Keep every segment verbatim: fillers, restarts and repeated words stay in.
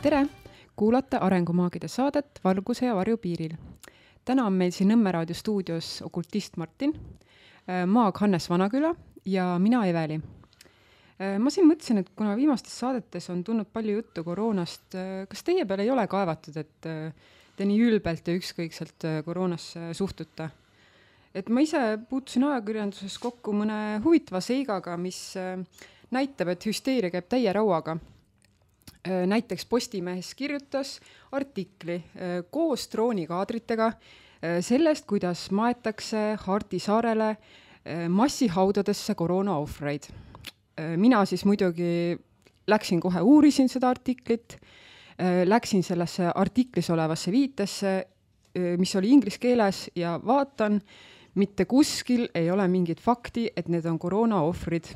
Tere! Kuulate Arengumaagide saadet Valguse ja varju piiril. Täna on meil siin Nõmme raadio stuudios okultist Martin, maag Hannes Vanaküla ja mina Eveli. Ma siin mõtlesin, et kuna viimastes saadetes on tulnud palju juttu koroonast, kas teie peale ei ole kaevatud, et te nii ülbelt ja ükskõikselt koroonasse suhtuta? Et ma ise puutusin ajakirjanduses kokku mõne huvitava seigaga, mis näitab, et hüsteeria käib täie rauaga. Näiteks Postimehes kirjutas artikli koos droonikaadritega sellest, kuidas maetakse Harti saarele massihaudadesse koroona ohvreid. Mina siis muidugi läksin kohe uurisin seda artiklit, läksin sellesse artiklis olevasse viitesse, mis oli inglise keeles ja vaatan, mitte kuskil ei ole mingit fakti, et need on koroona ohvrid.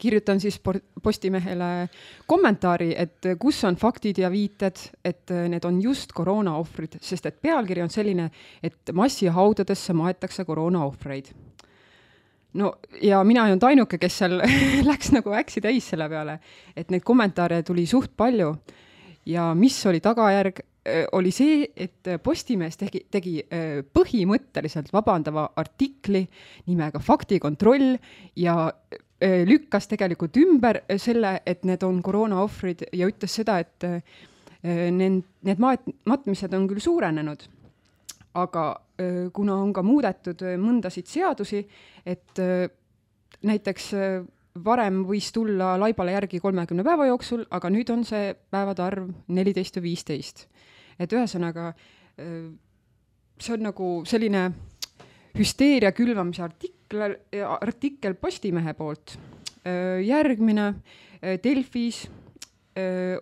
Kirjutan siis Postimehele kommentaari, et kus on faktid ja viited, et need on just koroona ohvrid, sest et pealkiri on selline, et massihaudadesse maetakse koroona ohvreid. No ja mina ei olnud ainuke, kes seal läks nagu äksi täis selle peale, et neid kommentaare tuli suht palju ja mis oli tagajärg, oli see, et Postimees tegi, tegi põhimõtteliselt vabandava artikli nimega Faktikontroll ja lükkas tegelikult ümber selle, et need on koroona ohvrid ja ütles seda, et need, need matmised on küll suurenenud, aga kuna on ka muudetud mõndasid seadusi, et näiteks varem võis tulla laibale järgi kolmekümne päeva jooksul, aga nüüd on see päevade arv neliteist ja viisteist. Et ühesõnaga, see on nagu selline hüsteeria külvamise artikkel, artikkel Postimehe poolt. Järgmine Delfis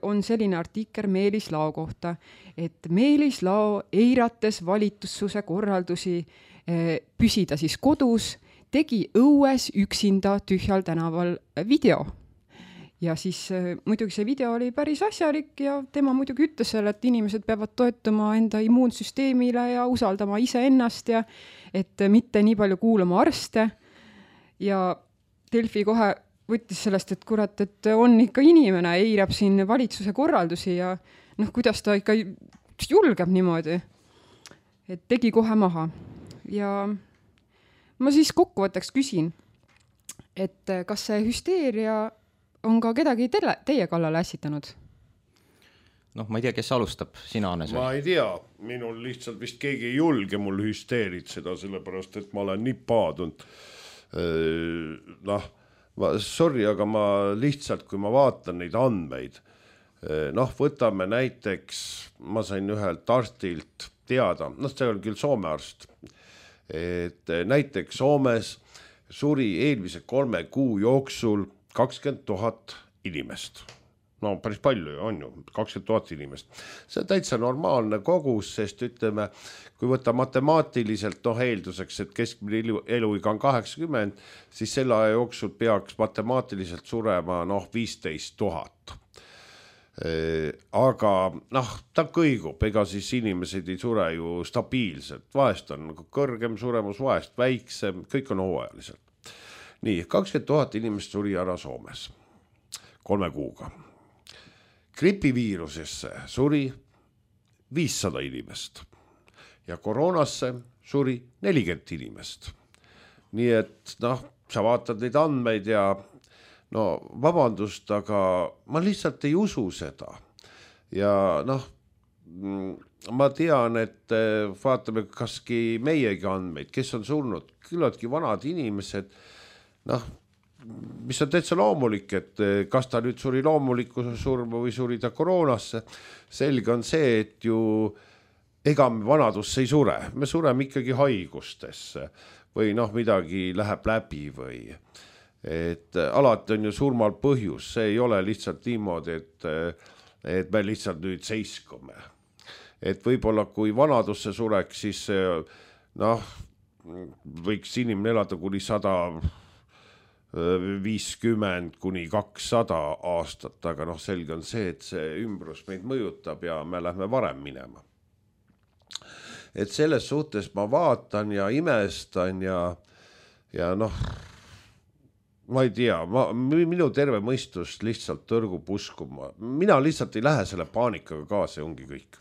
on selline artikkel Meelis Lao kohta, et Meelis Lao eirates valitussuse korraldusi püsida siis kodus, tegi õues üksinda tühjal tänaval video. Ja siis muidugi see video oli päris asjalik ja tema muidugi ütles selle, et inimesed peavad toetuma enda immuunsüsteemile ja usaldama ise ennast ja et mitte nii palju kuulama arste. Ja Delfi kohe võttis sellest, et kurat, et on ikka inimene, eirab siin valitsuse korraldusi ja noh, kuidas ta ikka julgeb niimoodi. Et tegi kohe maha. Ja ma siis kokkuvõtteks küsin, et kas see hüsteeria on ka kedagi teile, teie kallale ässitanud? Noh, ma ei tea, kes alustab, sina, Hannes? Ma ei tea, minul lihtsalt vist keegi ei julge mul hüsteerit seda, sellepärast, et ma olen nii paadunud. Noh, sorry, aga ma lihtsalt, kui ma vaatan neid andmeid, noh, võtame näiteks, ma sain ühelt arstilt teada, noh, see oli küll Soome arst, et näiteks Soomes suri eelmise kolme kuu jooksul kakskümmend tuhat inimest. No päris palju on ju, kakskümmend tuhat inimest. See on täitsa normaalne kogus, sest ütleme, kui võtta matemaatiliselt noh, eelduseks, et keskmine eluiga on kaheksakümmend, siis selle aja jooksul peaks matemaatiliselt surema noh, viisteist tuhat. Aga noh, ta kõigub, ega siis inimesed ei sure ju stabiilselt. Vahest on nagu kõrgem suremus, vahest väiksem, kõik on hooajaliselt. Nii, kakskümmend tuhat inimest suri ära Soomes kolme kuuga. Gripiviirusesse suri viissada inimest ja koroonasse suri nelikümmend inimest. Nii et noh, sa vaatad neid andmeid ja no vabandust, aga ma lihtsalt ei usu seda. Ja noh, ma tean, et vaatame kaski meiegi andmeid, kes on surnud, küllaltki vanad inimesed, noh, mis on täitsa loomulik, et kas ta nüüd suri loomulikku surma või suri ta koroonasse. Selge on see, et ju ega me vanadusse ei sure. Me sureme ikkagi haigustesse või noh, midagi läheb läbi või et alati on ju surmal põhjus. See ei ole lihtsalt niimoodi, et, et me lihtsalt nüüd seiskume. Et võib-olla kui vanadusse sureks, siis noh, võiks inimene elada kuni sada viiskümmend kuni kakssada aastat, aga noh, selge on see, et see ümbrus meid mõjutab ja me lähme varem minema. Et selles suhtes ma vaatan ja imestan ja, ja noh, ma ei tea, ma, minu terve mõistus lihtsalt tõrgub uskuma. Mina lihtsalt ei lähe selle paanikaga kaasa ja ongi kõik.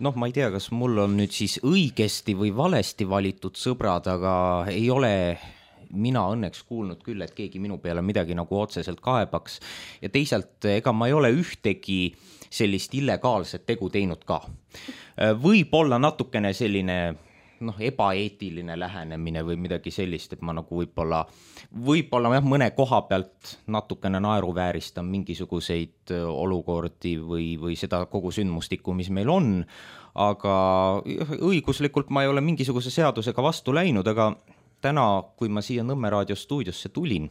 Noh, ma ei tea, kas mul on nüüd siis õigesti või valesti valitud sõbrad, aga ei ole mina õnneks kuulnud küll, et keegi minu peale midagi nagu otseselt kaebaks. Ja teisalt, ega ma ei ole ühtegi sellist illegaalset tegu teinud ka. Võib olla natukene selline noh, ebaeetiline lähenemine või midagi sellist, et ma nagu võib-olla, võib-olla jah, mõne koha pealt natukene naeruvääristan mingisuguseid olukordi või, või seda kogu sündmustikku, mis meil on, aga õiguslikult ma ei ole mingisuguse seadusega vastu läinud, aga täna, kui ma siia Nõmme raadio stuudiosse tulin,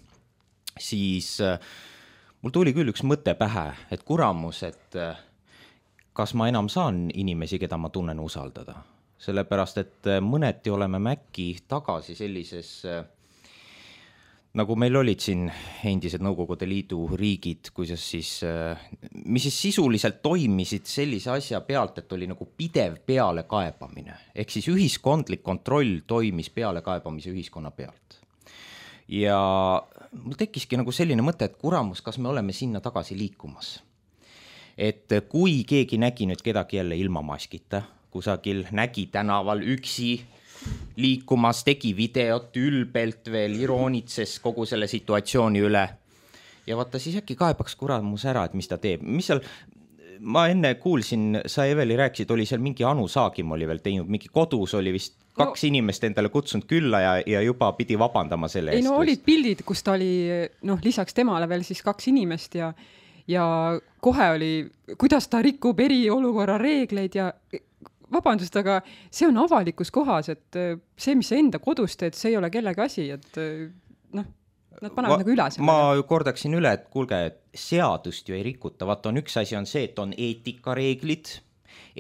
siis mul tuli küll üks mõte pähe, et kuramus, et kas ma enam saan inimesi, keda ma tunnen usaldada. Sellepärast, et mõneti oleme mäkki tagasi sellises, nagu meil olid siin endised Nõukogude Liidu riigid, kuidas siis, mis siis sisuliselt toimisid sellise asja pealt, et oli nagu pidev pealekaebamine. Ehk siis ühiskondlik kontroll toimis pealekaebamise ühiskonna pealt. Ja mul tekkiski nagu selline mõte, et kuramus, kas me oleme sinna tagasi liikumas. Et kui keegi nägi nüüd kedagi jälle ilma maskita, kusagil nägi tänaval üksi liikumas, tegi videot ülbelt veel, iroonitses kogu selle situatsiooni üle. Ja vaata, siis äkki kaebaks kuramus ära, et mis ta teeb. Mis seal, ma enne kuulsin, sa Eveli rääkisid, oli seal mingi Anu Saagim oli veel teinud, mingi kodus oli vist kaks no, inimest endale kutsunud külla ja, ja juba pidi vabandama selle ei, eest. Ei no olid pildid, kus ta oli, noh, lisaks temale veel siis kaks inimest ja, ja kohe oli, kuidas ta rikub eriolukorra reegleid ja vabandust, aga see on avalikus kohas, et see, mis sa enda kodus teed, see ei ole kellegi asi, et noh, nad panevad Va, nagu üle selle. Ma kordaksin üle, et kuulge, seadust ju ei rikuta, vaata on üks asi on see, et on eetikareeglid,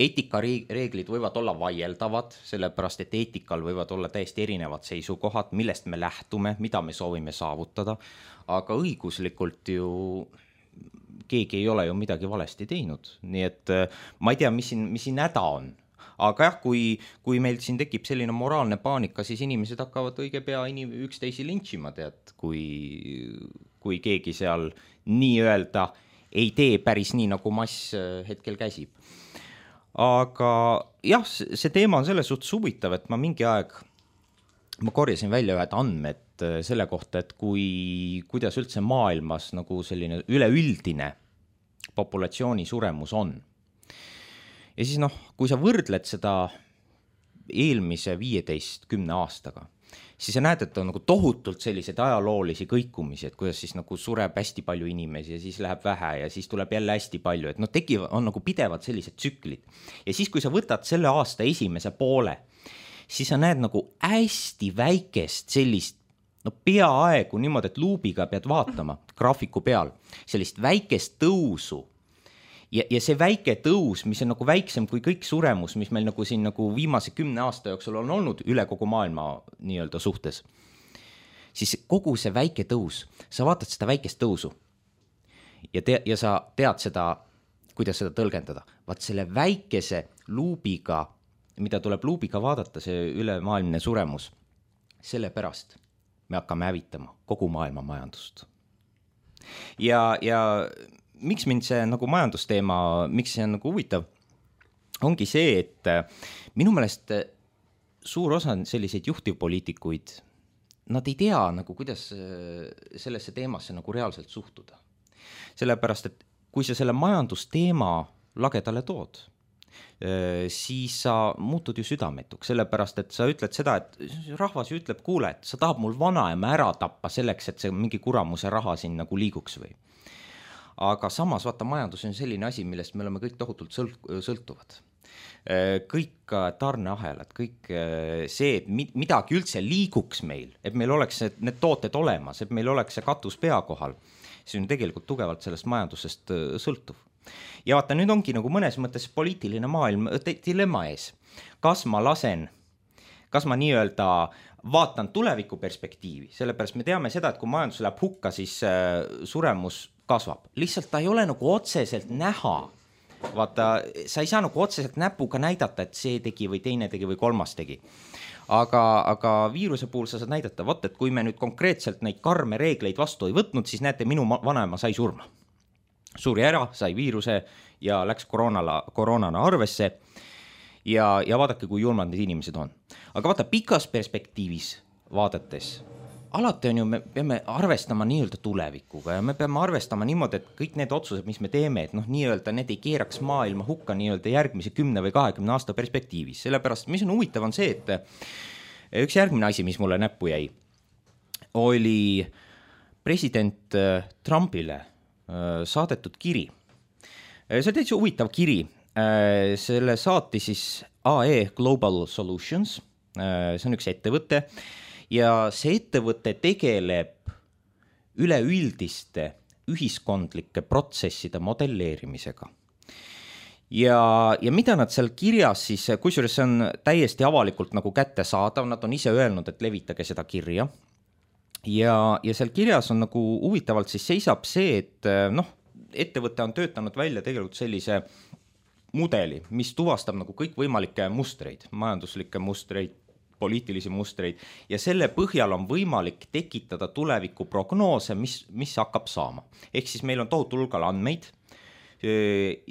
eetikareeglid võivad olla vaieldavad, sellepärast, et eetikal võivad olla täiesti erinevad seisukohad, millest me lähtume, mida me soovime saavutada, aga õiguslikult ju keegi ei ole ju midagi valesti teinud, nii et ma ei tea, mis siin, mis siin häda on. Aga jah, kui, kui meil siin tekib selline moraalne paanika, siis inimesed hakkavad õige pea inim, üksteisi lintšima, tead, kui, kui keegi seal nii-öelda ei tee päris nii, nagu mass hetkel käsib. Aga jah, see teema on selles suhtes huvitav, et ma mingi aeg, ma korjasin välja ühed andmed selle kohta, et kui, kuidas üldse maailmas nagu selline üleüldine populatsiooni suremus on. Ja siis noh, kui sa võrdled seda eelmise viieteist kümne aastaga, siis sa näed, et on nagu tohutult sellised ajaloolisi kõikumisi, et kuidas siis nagu sureb hästi palju inimesi ja siis läheb vähe ja siis tuleb jälle hästi palju, et no tekivad, on nagu pidevad sellised tsüklid. Ja siis, kui sa võtad selle aasta esimese poole, siis sa näed nagu hästi väikest sellist, no peaaegu niimoodi, et luubiga pead vaatama graafiku peal, sellist väikest tõusu. Ja, ja see väike tõus, mis on nagu väiksem kui kõik suremus, mis meil nagu siin nagu viimase kümne aasta jooksul on olnud üle kogu maailma nii-öelda suhtes, siis kogu see väike tõus, sa vaatad seda väikest tõusu ja, te, ja sa tead seda, kuidas seda tõlgendada. Vaat selle väikese luubiga, mida tuleb luubiga vaadata, see ülemaailmne suremus, sellepärast me hakkame hävitama kogu maailma majandust. Ja, ja miks mind see nagu majandusteema, miks see on nagu huvitav, ongi see, et minu meelest suur osa selliseid juhtivpoliitikuid, nad ei tea nagu, kuidas sellesse teemasse nagu reaalselt suhtuda. Sellepärast, et kui sa selle majandusteema lagedale tood, siis sa muutud ju südametuks, sellepärast, et sa ütled seda, et rahvas ju ütleb, kuule, et sa tahab mul vanaema ära tappa selleks, et see mingi kuramuse raha siin nagu liiguks või. Aga samas vaata, majandus on selline asi, millest me oleme kõik tohutult sõltuvad. Kõik tarneahelad, kõik see, et midagi üldse liiguks meil, et meil oleks need tooted olemas, et meil oleks see katus pea kohal, see on tegelikult tugevalt sellest majandusest sõltuv. Ja vaata, nüüd ongi nagu mõnes mõttes poliitiline maailm dilemma ees. Kas ma lasen, kas ma nii-öelda vaatan tuleviku perspektiivi, sellepärast me teame seda, et kui majandus läheb hukka, siis suremus kasvab. Lihtsalt ta ei ole nagu otseselt näha. Vaata, sa ei saa nagu otseselt näpuga näidata, et see tegi või teine tegi või kolmas tegi. aga, aga viiruse puhul sa saad näidata, vaat, et kui me nüüd konkreetselt neid karme reegleid vastu ei võtnud, siis näete, minu vanaema sai surma. Suri ära, sai viiruse ja läks koroonala, koroonana arvesse ja, ja vaadake, kui julmad need inimesed on. Aga vaata, pikas perspektiivis vaadates, alati on ju, me peame arvestama nii-öelda tulevikuga ja me peame arvestama niimoodi, et kõik need otsused, mis me teeme, et noh, nii-öelda need ei keeraks maailma hukka nii-öelda järgmise kümne või kahekümne aasta perspektiivis. Sellepärast, mis on huvitav, on see, et üks järgmine asi, mis mulle näppu jäi, oli president Trumpile saadetud kiri. See on täitsa huvitav kiri. Selle saati siis A E Global Solutions, see on üks ettevõte, ja see ettevõte tegeleb üleüldiste ühiskondlike protsesside modelleerimisega. Ja, ja mida nad seal kirjas siis, kusjuures see on täiesti avalikult nagu kättesaadav, nad on ise öelnud, et levitage seda kirja. Ja, ja seal kirjas on nagu huvitavalt siis seisab see, et noh, ettevõte on töötanud välja tegelikult sellise mudeli, mis tuvastab nagu kõik võimalikke mustreid, majanduslikke mustreid, poliitilisi mustreid ja selle põhjal on võimalik tekitada tuleviku prognoose, mis, mis hakkab saama. Ehk siis meil on tohutul hulgal andmeid,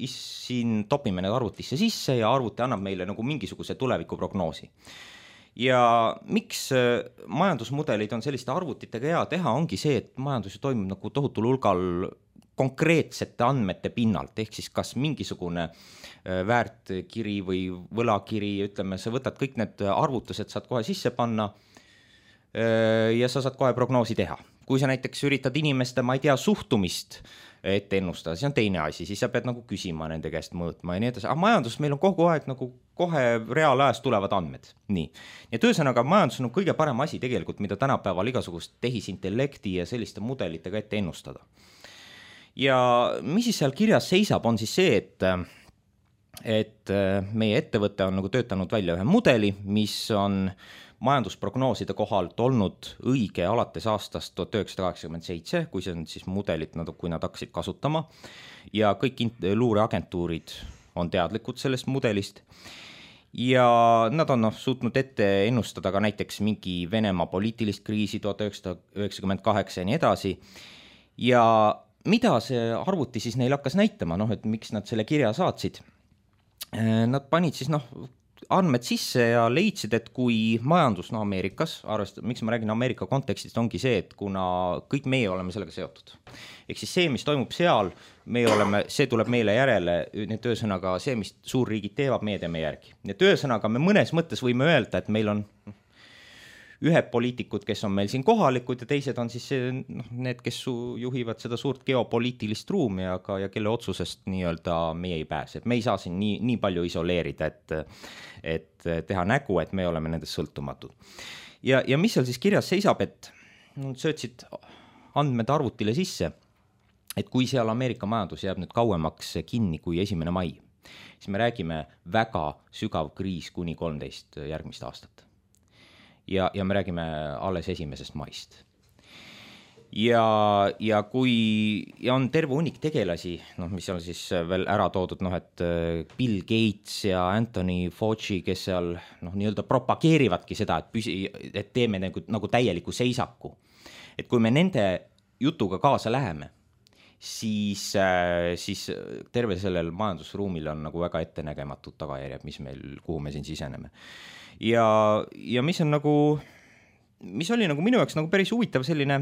siin topime need arvutisse sisse ja arvuti annab meile nagu mingisuguse tuleviku prognoosi. Ja miks majandusmudelid on selliste arvutitega hea teha, ongi see, et majandus toimub nagu tohutul hulgal konkreetsete andmete pinnalt, ehk siis kas mingisugune väärtkiri või võlakiri, ütleme, sa võtad kõik need arvutused, saad kohe sisse panna ja sa saad kohe prognoosi teha. Kui sa näiteks üritad inimeste, ma ei tea, suhtumist ette ennustada, see on teine asi, siis sa pead nagu küsima nende käest mõõtma ja nii edasi. Aga majandus meil on kogu aeg nagu kohe reaalajas tulevad andmed. Nii. Ja töösõnaga majandus on kõige parem asi tegelikult, mida tänapäeval igasugust tehisintellekti ja selliste mudelitega ette ennustada. Ja mis siis seal kirjas seisab, on siis see, et et meie ettevõte on nagu töötanud välja ühe mudeli, mis on majandusprognooside kohalt olnud õige alates aastast tuhat üheksasada kaheksakümmend seitse, kui see on siis mudelit, kui nad hakkasid kasutama ja kõik luureagentuurid on teadlikud sellest mudelist ja nad on no, suutnud ette ennustada ka näiteks mingi Venemaa poliitilist kriisi tuhat üheksasada üheksakümmend kaheksa ja nii edasi ja mida see arvuti siis neil hakkas näitama, noh, et miks nad selle kirja saatsid? Nad panid siis noh, andmed sisse ja leidsid, et kui majandus no Ameerikas, arvest, miks ma räägin Ameerika kontekstist, ongi see, et kuna kõik meie oleme sellega seotud. Ehk siis see, mis toimub seal, meie oleme, see tuleb meile järele, need töösõnaga see, mis suurriigid teevad, meie teeme järgi. Ja töösõnaga me mõnes mõttes võime öelda, et meil on ühed poliitikud, kes on meil siin kohalikud ja teised on siis noh, need, kes juhivad seda suurt geopoliitilist ruumi, aga ja kelle otsusest nii-öelda meie ei pääse. Me ei saa siin nii, nii palju isoleerida, et, et teha nägu, et me oleme nendest sõltumatud. Ja, ja mis seal siis kirjas seisab, et no, söötsid andmed arvutile sisse, et kui seal Ameerika majandus jääb nüüd kauemaks kinni kui esimene mai, siis me räägime väga sügav kriis kuni kolmteist järgmist aastat. Ja, ja me räägime alles esimesest maist. Ja, ja kui ja on terve hunnik tegelasi, noh, mis on siis veel ära toodud, noh, et Bill Gates ja Anthony Fauci, kes seal noh, nii-öelda propageerivadki seda, et, püsi, et teeme nagu, nagu täieliku seisaku. Et kui me nende jutuga kaasa läheme, siis, siis terve sellel majandusruumil on nagu väga ettenägematud tagajärjed, mis meil, kuhu me siin siseneme. Ja, ja mis on nagu, mis oli nagu minu jaoks nagu päris huvitav selline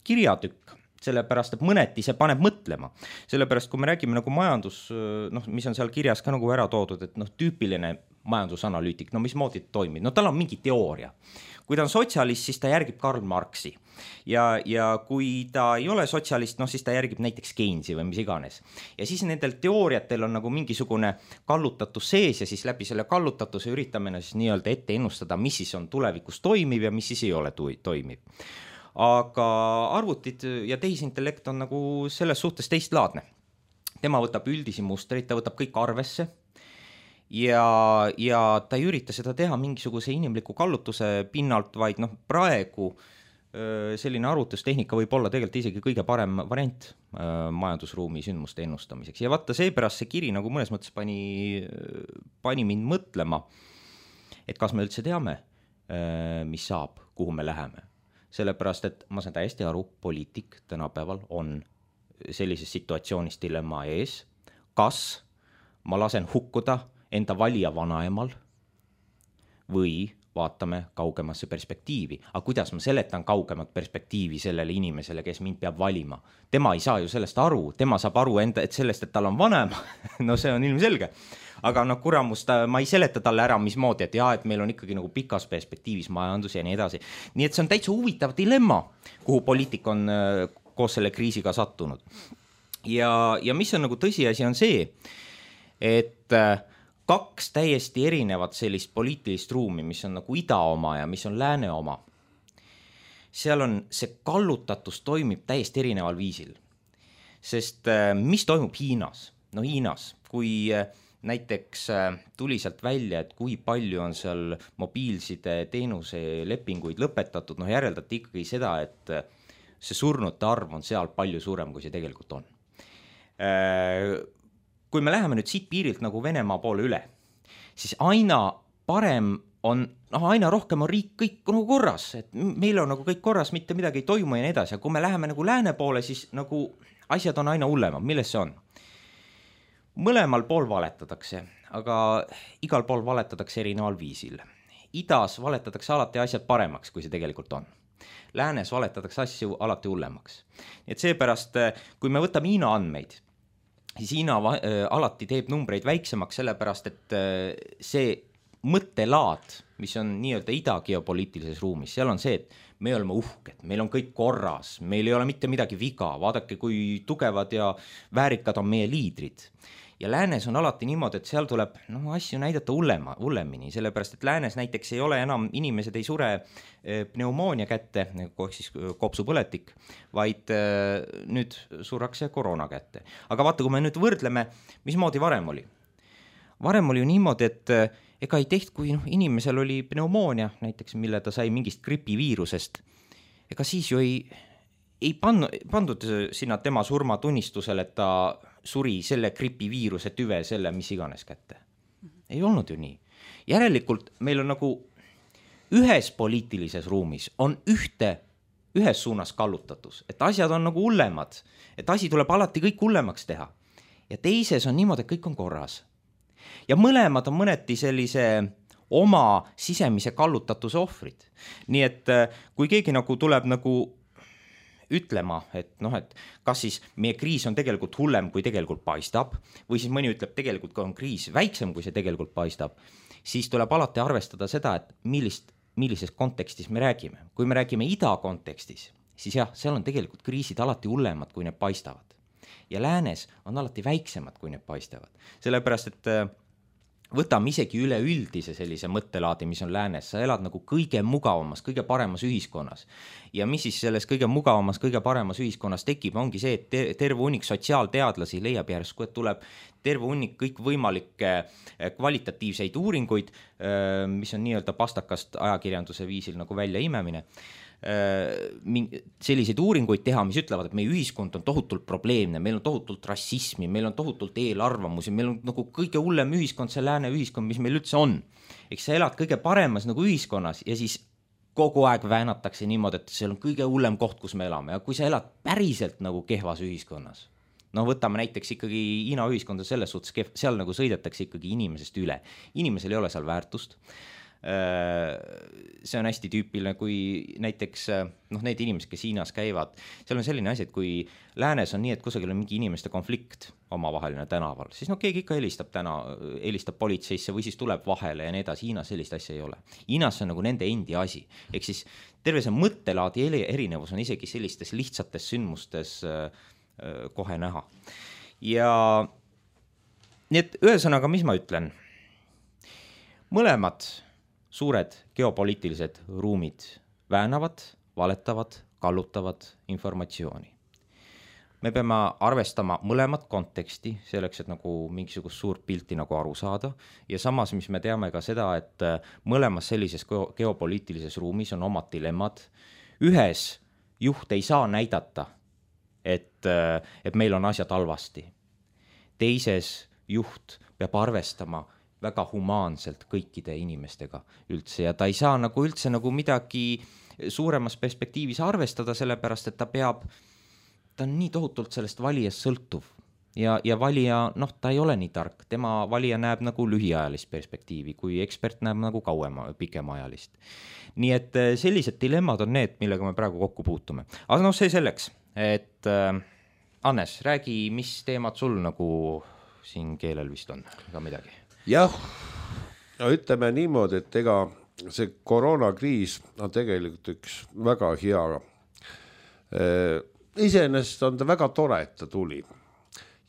kirjatükk, sellepärast, et mõneti see paneb mõtlema. Sellepärast, kui me räägime nagu majandus, noh, mis on seal kirjas ka nagu ära toodud, et noh, tüüpiline majandusanalüütik, no mismoodi toimib, no tal on mingi teooria. Kui ta on sotsialist, siis ta järgib Karl Marxi ja, ja kui ta ei ole sotsialist, no siis ta järgib näiteks Keynesi või mis iganes. Ja siis nendel teooriatel on nagu mingisugune kallutatus sees ja siis läbi selle kallutatuse üritame siis nii-öelda ette ennustada, mis siis on tulevikus toimiv ja mis siis ei ole toimiv. Aga arvutid ja tehisintellekt on nagu selles suhtes teistlaadne. Tema võtab üldisi mustreid, ta võtab kõik arvesse. Ja, ja ta ei ürita seda teha mingisuguse inimliku kallutuse pinnalt, vaid noh, praegu selline arvutustehnika võib olla tegelikult isegi kõige parem variant majandusruumi sündmuste ennustamiseks. Ja vaata seepärast see kiri nagu mõnes mõttes pani, pani mind mõtlema, et kas me üldse teame, mis saab, kuhu me läheme. Sellepärast, et ma saan täiesti aru, poliitik tänapäeval on sellises situatsioonis dilemma ees, kas ma lasen hukkuda enda valija vanaemal või vaatame kaugemasse perspektiivi. Aga kuidas ma seletan kaugemat perspektiivi sellele inimesele, kes mind peab valima? Tema ei saa ju sellest aru, tema saab aru enda, et sellest, et tal on vanem, no see on ilmselge. Aga no kuramust, ma ei seleta talle ära mismoodi, et jah, et meil on ikkagi nagu pikas perspektiivis majandus ja nii edasi. Nii et see on täitsa huvitav dilemma, kuhu poliitik on koos selle kriisiga sattunud. Ja, ja mis on nagu tõsiasi on see, et kaks täiesti erinevat sellist poliitilist ruumi, mis on nagu ida oma ja mis on lääne oma. Seal on see kallutatus toimib täiesti erineval viisil. Sest mis toimub Hiinas? No Hiinas, kui näiteks tuli sealt välja, et kui palju on seal mobiilside teenuse lepinguid lõpetatud, no järeldati ikkagi seda, et see surnute arv on seal palju suurem, kui see tegelikult on. Kui me läheme nüüd siit piirilt nagu Venemaa poole üle, siis aina parem on, noh, aina rohkem on riik kõik nagu korras, et meil on nagu kõik korras, mitte midagi ei toimu ja nii edasi, ja kui me läheme nagu lääne poole, siis nagu asjad on aina hullemad, milles see on? Mõlemal pool valetatakse, aga igal pool valetatakse erineval viisil. Idas valetatakse alati asjad paremaks, kui see tegelikult on. Läänes valetatakse asju alati hullemaks. Et seepärast, kui me võtame Hiina andmeid, siis Hiina alati teeb numbreid väiksemaks, sellepärast, et see mõttelaad, mis on nii-öelda ida geopoliitilises ruumis, seal on see, et me oleme uhked, meil on kõik korras, meil ei ole mitte midagi viga, vaadake, kui tugevad ja väärikad on meie liidrid. Ja läänes on alati niimoodi, et seal tuleb no, asju näidata hullema, hullemini, sellepärast, et läänes näiteks ei ole enam, inimesed ei sure pneumoonia kätte, kohe siis kopsupõletik, vaid nüüd surrakse koroona kätte. Aga vaata, kui me nüüd võrdleme, mismoodi varem oli? Varem oli ju niimoodi, et ega ei teht, kui no, inimesel oli pneumoonia, näiteks mille ta sai mingist gripiviirusest, ega siis ju ei, ei pandu, pandud sinna tema surmatunnistusele, et ta suri selle gripiviiruse tüve, selle mis iganes kätte. Ei olnud ju nii. Järelikult meil on nagu ühes poliitilises ruumis on ühte, ühes suunas kallutatus, et asjad on nagu hullemad, et asi tuleb alati kõik hullemaks teha. Ja teises on niimoodi, et kõik on korras. Ja mõlemad on mõneti sellise oma sisemise kallutatuse ohvrid. Nii et kui keegi nagu tuleb nagu ütlema, et noh, et kas siis meie kriis on tegelikult hullem, kui tegelikult paistab, või siis mõni ütleb, tegelikult on kriis väiksem, kui see tegelikult paistab, siis tuleb alati arvestada seda, et millist, millises kontekstis me räägime. Kui me räägime ida kontekstis, siis jah, seal on tegelikult kriisid alati hullemad, kui need paistavad. Ja läänes on alati väiksemad, kui need paistavad. Sellepärast, et võtame isegi üleüldise sellise mõttelaadi, mis on läänes, sa elad nagu kõige mugavamas, kõige paremas ühiskonnas. Ja mis siis selles kõige mugavamas, kõige paremas ühiskonnas tekib, ongi see, et terve hunnik sotsiaalteadlasi leiab järsku, et tuleb terve hunnik kõik võimalikke kvalitatiivseid uuringuid, mis on nii-öelda pastakast ajakirjanduse viisil nagu välja imemine, selliseid uuringuid teha, mis ütlevad, et meie ühiskond on tohutult probleemne, meil on tohutult rassismi, meil on tohutult eelarvamusi, meil on nagu kõige hullem ühiskond, see lääne ühiskond, mis meil üldse on. Eks sa elad kõige paremas nagu ühiskonnas ja siis kogu aeg väänatakse niimoodi, et see on kõige hullem koht, kus me elame. Ja kui sa elad päriselt nagu kehvas ühiskonnas, no võtame näiteks ikkagi Hiina ühiskonda selles suhtes, seal nagu sõidetakse ikkagi inimesest üle. Inimesel ei ole seal väärtust. See on hästi tüüpiline, kui näiteks noh, need inimesed, kes Hiinas käivad, seal on selline asi, et kui läänes on nii, et kusagil on mingi inimeste konflikt omavaheline tänaval, siis no keegi ikka helistab täna, helistab politseisse või siis tuleb vahele ja nii edasi. Hiinas sellist asja ei ole. Hiinas on nagu nende endi asi. Ehk siis terve see mõttelaadi erinevus on isegi sellistes lihtsates sündmustes kohe näha. Ja nii et ühesõnaga, mis ma ütlen? Mõlemad suured geopoliitilised ruumid väänavad, valetavad, kallutavad informatsiooni. Me peame arvestama mõlemat konteksti selleks, et nagu mingisugust suurt pilti nagu aru saada. Ja samas, mis me teame ka seda, et mõlemas sellises geopoliitilises ruumis on omad dilemmad. Ühes juht ei saa näidata, et, et meil on asjad halvasti. Teises juht peab arvestama, väga humaanselt kõikide inimestega üldse ja ta ei saa nagu üldse nagu midagi suuremas perspektiivis arvestada, sellepärast, et ta peab, ta on nii tohutult sellest valijast sõltuv ja, ja valija, noh, ta ei ole nii tark, tema valija näeb nagu lühiajalist perspektiivi, kui ekspert näeb nagu kauema, pikemaajalist. Nii et sellised dilemmad on need, millega me praegu kokku puutume. Aga noh, see selleks, et äh, Hannes, räägi, mis teemad sul nagu siin keelel vist on, ega midagi? Jah, no ütleme niimoodi, et ega see koroonakriis on tegelikult üks väga hea. Iseenesest on ta väga tore, et ta tuli.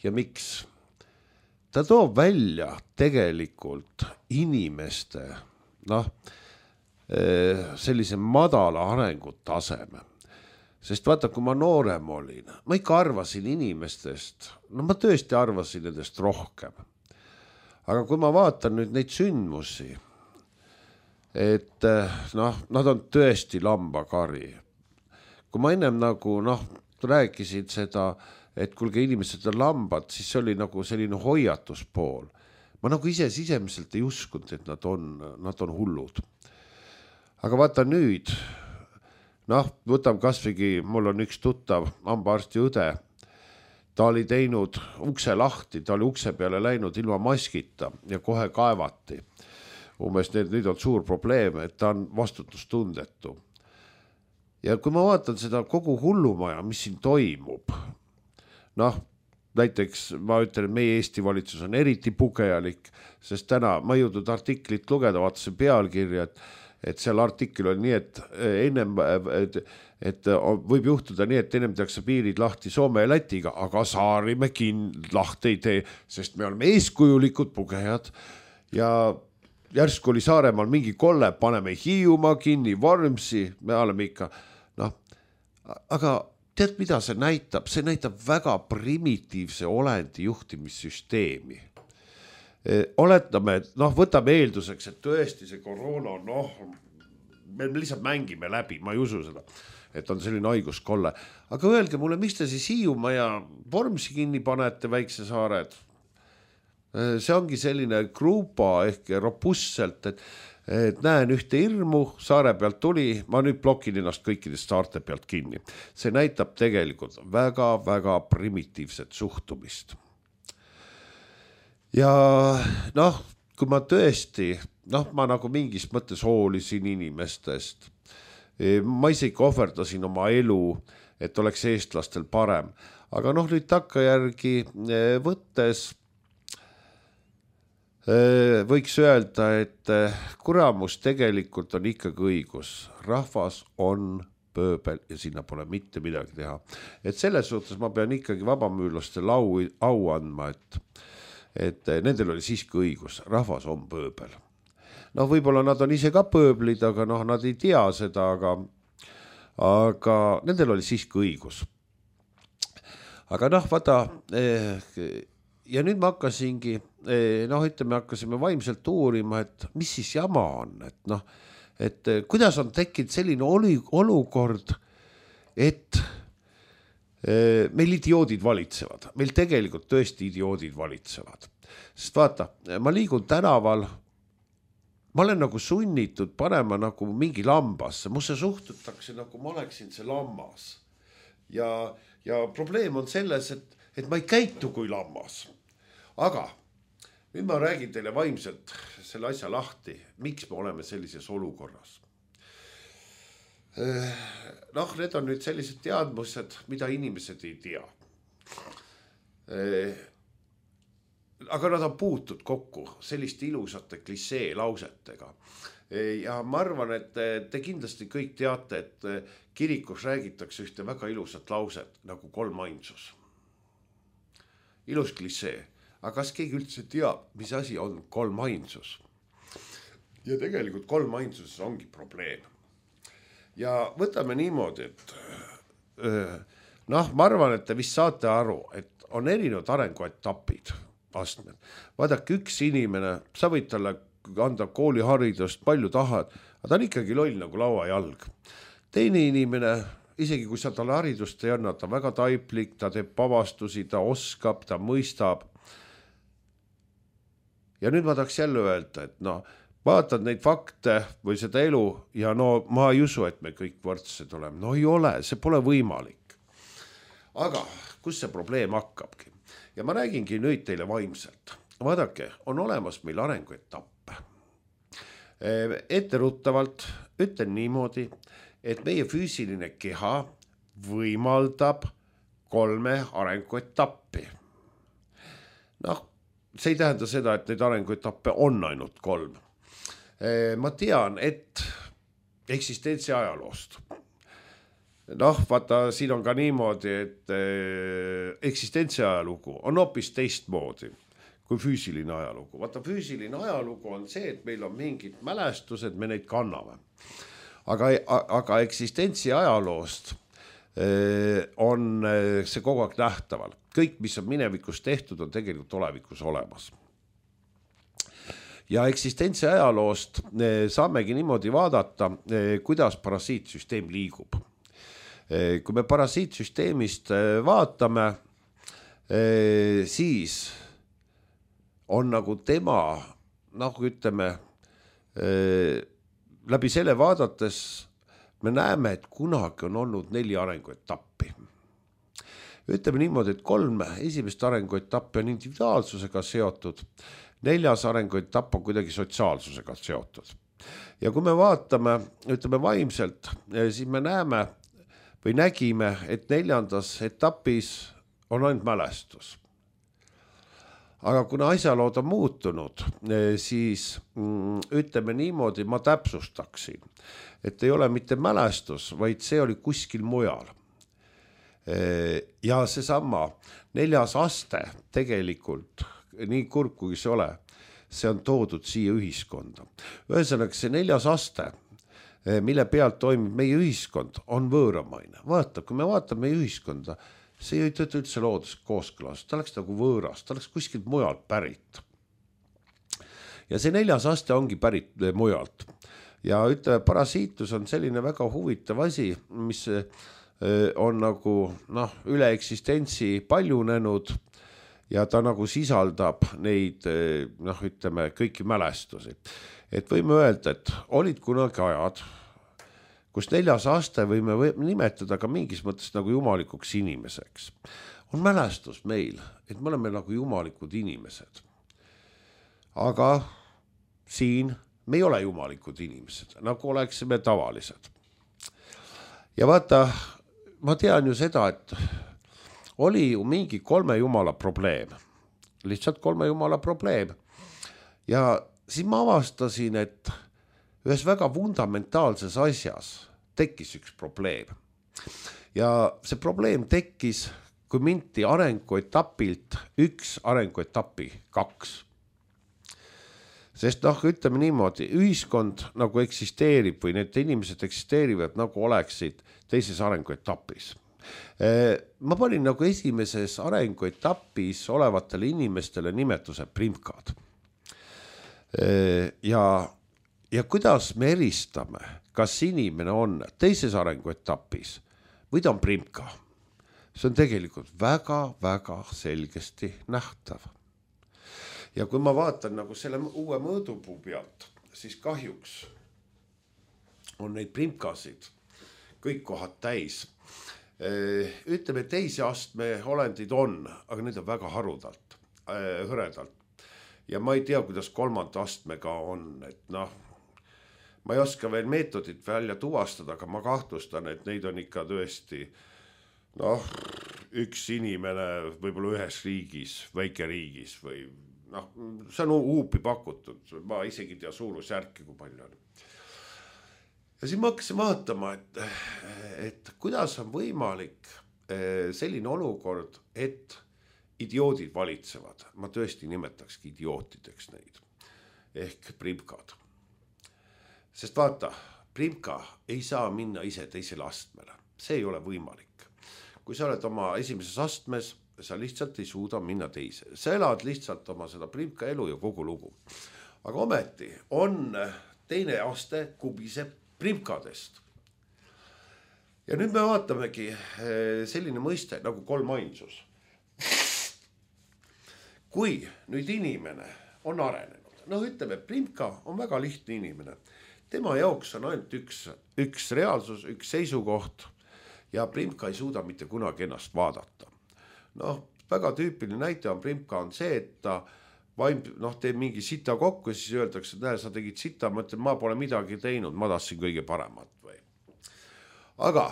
Ja miks? Ta toob välja tegelikult inimeste, noh, sellise madala arengutaseme. Sest vaata, kui ma noorem olin, ma ikka arvasin inimestest, no ma tõesti arvasin nendest rohkem. Aga kui ma vaatan nüüd neid sündmusi, et noh, nad on tõesti lambakari. Kui ma ennem nagu, noh, rääkisid seda, et kuulge inimesed on lambad, siis see oli nagu selline hoiatuspool. Ma nagu ise sisemiselt ei uskunud, et nad on, nad on hullud. Aga vaata nüüd, noh, võtam kasvõigi, mul on üks tuttav hambaarsti õde, ta oli teinud ukse lahti, ta oli ukse peale läinud ilma maskita ja kohe kaevati. Umbes need, nüüd on suur probleem, et ta on vastutustundetu. Ja kui ma vaatan seda kogu hullumaja, mis siin toimub, noh, näiteks ma ütlen, et meie Eesti valitsus on eriti pugejalik, sest täna ma jõudnud artiklit lugeda, vaatasin pealkirja, et et seal artikkel on nii, et ennem, et, et võib juhtuda nii, et ennem tehakse piirid lahti Soome ja Lätiga, aga saari me kin lahti ei tee, sest me oleme eeskujulikud pugejad ja järsku oli Saaremaal mingi kolle, paneme Hiiumaa kinni, Vormsi, me oleme ikka, noh, aga tead, mida see näitab? See näitab väga primitiivse olendi juhtimissüsteemi. Oletame, et noh, võtame eelduseks, et tõesti see koroona, noh, me lihtsalt mängime läbi, ma ei usu seda, et on selline haiguskolle. Aga öelge mulle, miks te siis Hiiumaa ja Vormsi kinni panete, väikse saared? See ongi selline grupa ehk robustselt, et, et näen ühte hirmu, saare pealt tuli, ma nüüd blokin ennast kõikidest saarte pealt kinni. See näitab tegelikult väga-väga primitiivset suhtumist. Ja noh, kui ma tõesti, noh, ma nagu mingis mõttes hoolisin inimestest, ma isegi ohverdasin oma elu, et oleks eestlastel parem, aga noh, nüüd takkajärgi võttes võiks öelda, et kuramus tegelikult on ikkagi õigus, rahvas on pööbel ja sinna pole mitte midagi teha. Et selles suhtes ma pean ikkagi vabamüürlastele au, au andma, et et nendel oli siiski õigus, rahvas on pööbel. Noh, võib-olla nad on ise ka pööblid, aga noh, nad ei tea seda, aga, aga nendel oli siiski õigus. Aga noh, vaata, ja nüüd ma hakkasingi, noh, ütleme, hakkasime vaimselt uurima, et mis siis jama on, et noh, et kuidas on tekkinud selline olukord, et meil idioodid valitsevad, meil tegelikult tõesti idioodid valitsevad. Sest vaata, ma liigun tänaval, ma olen nagu sunnitud panema nagu mingi lambasse, musse suhtutakse nagu ma oleksin see lammas. Ja, ja probleem on selles, et, et ma ei käitu kui lammas. Aga nüüd ma räägin teile vaimselt selle asja lahti, miks me oleme sellises olukorras. Noh, need on nüüd sellised teadmused, mida inimesed ei tea. Aga nad on puutud kokku selliste ilusate klisee lausetega. Ja ma arvan, et te kindlasti kõik teate, et kirikus räägitakse ühte väga ilusat lauset nagu kolmainsus. Ilus klisee. Aga kas keegi üldse teab, mis asi on kolmainsus? Ja tegelikult kolmainsuses ongi probleem. Ja võtame niimoodi, et noh, ma arvan, et te vist saate aru, et on erinevad arenguetapid, astmed. Vaadake, üks inimene, sa võid talle anda kooliharidust, palju tahad, aga ta on ikkagi loll nagu lauajalg. Teine inimene, isegi kui sa talle haridust ei anna, ta väga taiplik, ta teeb pavastusi, ta oskab, ta mõistab. ja nüüd ma tahaks jälle öelda, et no vaatad neid fakte või seda elu ja no ma ei usu, et me kõik võrdsed oleme. No ei ole, see pole võimalik. Aga kus see probleem hakkabki? Ja ma räägingi nüüd teile vaimselt. Vaadake, on olemas meil arenguetappe. Etteruttavalt ütlen niimoodi, et meie füüsiline keha võimaldab kolme arenguetappi. Noh, see ei tähenda seda, et neid arenguetappe on ainult kolm. Ma tean, et eksistentsi ajaloost. Noh, vaata, siin on ka niimoodi, et eksistentsi ajalugu on hoopis teistmoodi kui füüsiline ajalugu. Vaata, füüsiline ajalugu on see, et meil on mingid mälestused, me neid kanname. Aga, aga eksistentsi ajaloost on see kogu aeg nähtaval. Kõik, mis on minevikus tehtud, on tegelikult olevikus olemas. Ja eksistentsi ajaloost saamegi niimoodi vaadata, kuidas parasiitsüsteem liigub. Kui me parasiitsüsteemist vaatame, siis on nagu tema, nagu ütleme, läbi selle vaadates me näeme, et kunagi on olnud neli arenguetappi. Ütleme niimoodi, et kolm esimest arenguetappi on individuaalsusega seotud, neljas arenguetapp on kuidagi sotsiaalsusega seotud. Ja kui me vaatame, ütleme vaimselt, siis me näeme või nägime, et neljandas etapis on ainult mälestus. Aga kuna asjalood on muutunud, siis ütleme niimoodi, ma täpsustaksin, et ei ole mitte mälestus, vaid see oli kuskil mujal. Ja see sama neljas aste tegelikult, nii kurb kui see ole, see on toodud siia ühiskonda. Ühesõnaga see neljas aste, mille pealt toimib meie ühiskond, on võõramaine. Vaata, kui me vaatame meie ühiskonda, see ei tööta üldse loodus kooskõlas, ta oleks nagu võõras, ta oleks kuskilt mujalt pärit. Ja see neljas aste ongi pärit mujalt. Ja ütleme, parasiitus on selline väga huvitav asi, mis on nagu noh, üle eksistentsi paljunenud ja ta nagu sisaldab neid, noh, ütleme, kõiki mälestusi. Et võime öelda, et olid kunagi ajad, kus neljas aste võime nimetada ka mingis mõttes nagu jumalikuks inimeseks. On mälestus meil, et me oleme nagu jumalikud inimesed. Aga siin me ei ole jumalikud inimesed, nagu oleksime tavalised. Ja vaata, ma tean ju seda, et oli ju mingi kolme jumala probleem. Lihtsalt kolme jumala probleem. Ja siis ma avastasin, et ühes väga fundamentaalses asjas tekkis üks probleem. Ja see probleem tekkis, kui minti arenguetapilt üks arenguetapi kaks. Sest noh, ütleme niimoodi, ühiskond nagu eksisteerib või need inimesed eksisteerivad nagu oleksid teises arenguetapis. Ma panin nagu esimeses arenguetapis olevatele inimestele nimetuse primkad. Ja Ja kuidas me eristame, kas inimene on teises arenguetapis või ta on primka? See on tegelikult väga-väga selgesti nähtav. Ja kui ma vaatan nagu selle uue mõõdupuu pealt, siis kahjuks on neid primkasid kõik kohad täis. Ütleme, teise astme olendid on, aga need on väga harudalt, hõredalt. Ja ma ei tea, kuidas kolmanda astmega on, et noh, ma ei oska veel meetodit välja tuvastada, aga ma kahtlustan, et neid on ikka tõesti noh, üks inimene võib-olla ühes riigis, väike riigis või noh, see on huupi pakutud, ma isegi tea suurusjärki, kui palju on. Ja siis ma hakkasin vaatama, et, et kuidas on võimalik selline olukord, et idioodid valitsevad. Ma tõesti nimetakski idiootideks neid ehk primkad. Sest vaata, primka ei saa minna ise teisele astmele. See ei ole võimalik. Kui sa oled oma esimeses astmes, sa lihtsalt ei suuda minna teise. Sa elad lihtsalt oma seda primka elu ja kogu lugu. Aga ometi on teine aste kubiseb primkadest. Ja nüüd me vaatamegi selline mõiste nagu kolmainsus. Kui nüüd inimene on arenenud. Noh, ütleme, Primka on väga lihtne inimene. Tema jaoks on ainult üks, üks reaalsus, üks seisukoht ja Primka ei suuda mitte kunagi ennast vaadata. Noh, väga tüüpiline näite on Primka on see, et ta vaim, noh, teeb mingi sita kokku ja siis öeldakse, et näe, sa tegid sita, ma ütlen, ma pole midagi teinud, ma tahtsin kõige paremat või. Aga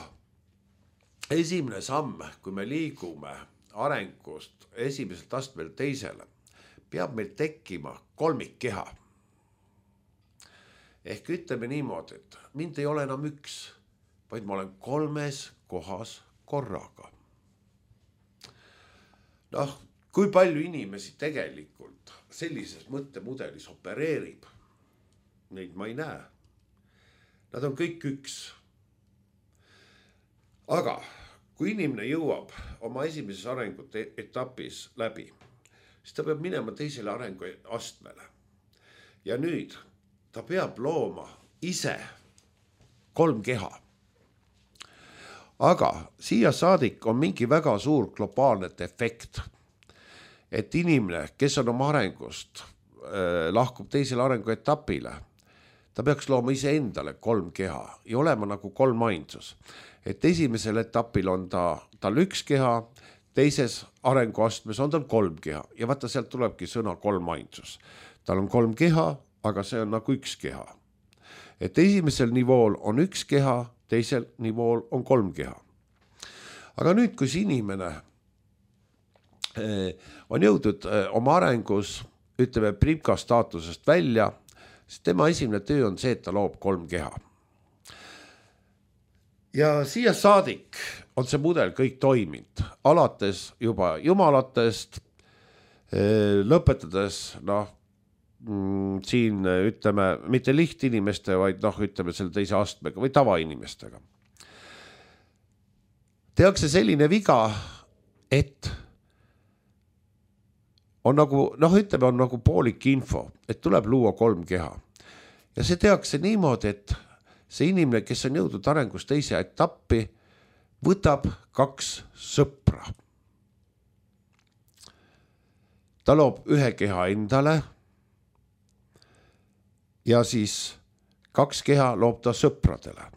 esimene samm, kui me liigume arengust esimeselt astmel teisele, peab meil tekkima kolmikkeha. Ehk ütleme niimoodi, et mind ei ole enam üks, vaid ma olen kolmes kohas korraga. Noh, kui palju inimesi tegelikult sellises mõttemudelis opereerib, neid ma ei näe. Nad on kõik üks. Aga kui inimene jõuab oma esimeses arengute etapis läbi, siis ta peab minema teisele arengu astmele. Ja nüüd ta peab looma ise kolm keha. Aga siia saadik on mingi väga suur globaalne efekt, et inimene, kes on oma arengust äh, lahkub teisele arengu etapile, ta peaks looma ise endale kolm keha ja olema nagu kolm ainsus. Et esimesel etapil on ta, tal üks keha, teises arenguastmes on tal kolm keha ja vaata sealt tulebki sõna kolm ainsus. Tal on kolm keha, aga see on nagu üks keha. Et esimesel nivool on üks keha, teisel nivool on kolm keha. Aga nüüd, kui see inimene on jõudnud oma arengus, ütleme Primka staatusest välja, siis tema esimene töö on see, et ta loob kolm keha. Ja siia saadik on see mudel kõik toiminud, alates juba jumalatest, lõpetades, noh, siin ütleme, mitte lihtinimeste, vaid noh, ütleme selle teise astmega või tavainimestega. Tehakse selline viga, et on nagu, noh, ütleme, on nagu poolik info, et tuleb luua kolm keha. Ja see tehakse niimoodi, et see inimene, kes on jõudnud arengus teise etappi, võtab kaks sõpra. Ta loob ühe keha endale ja siis kaks keha loob ta sõpradele.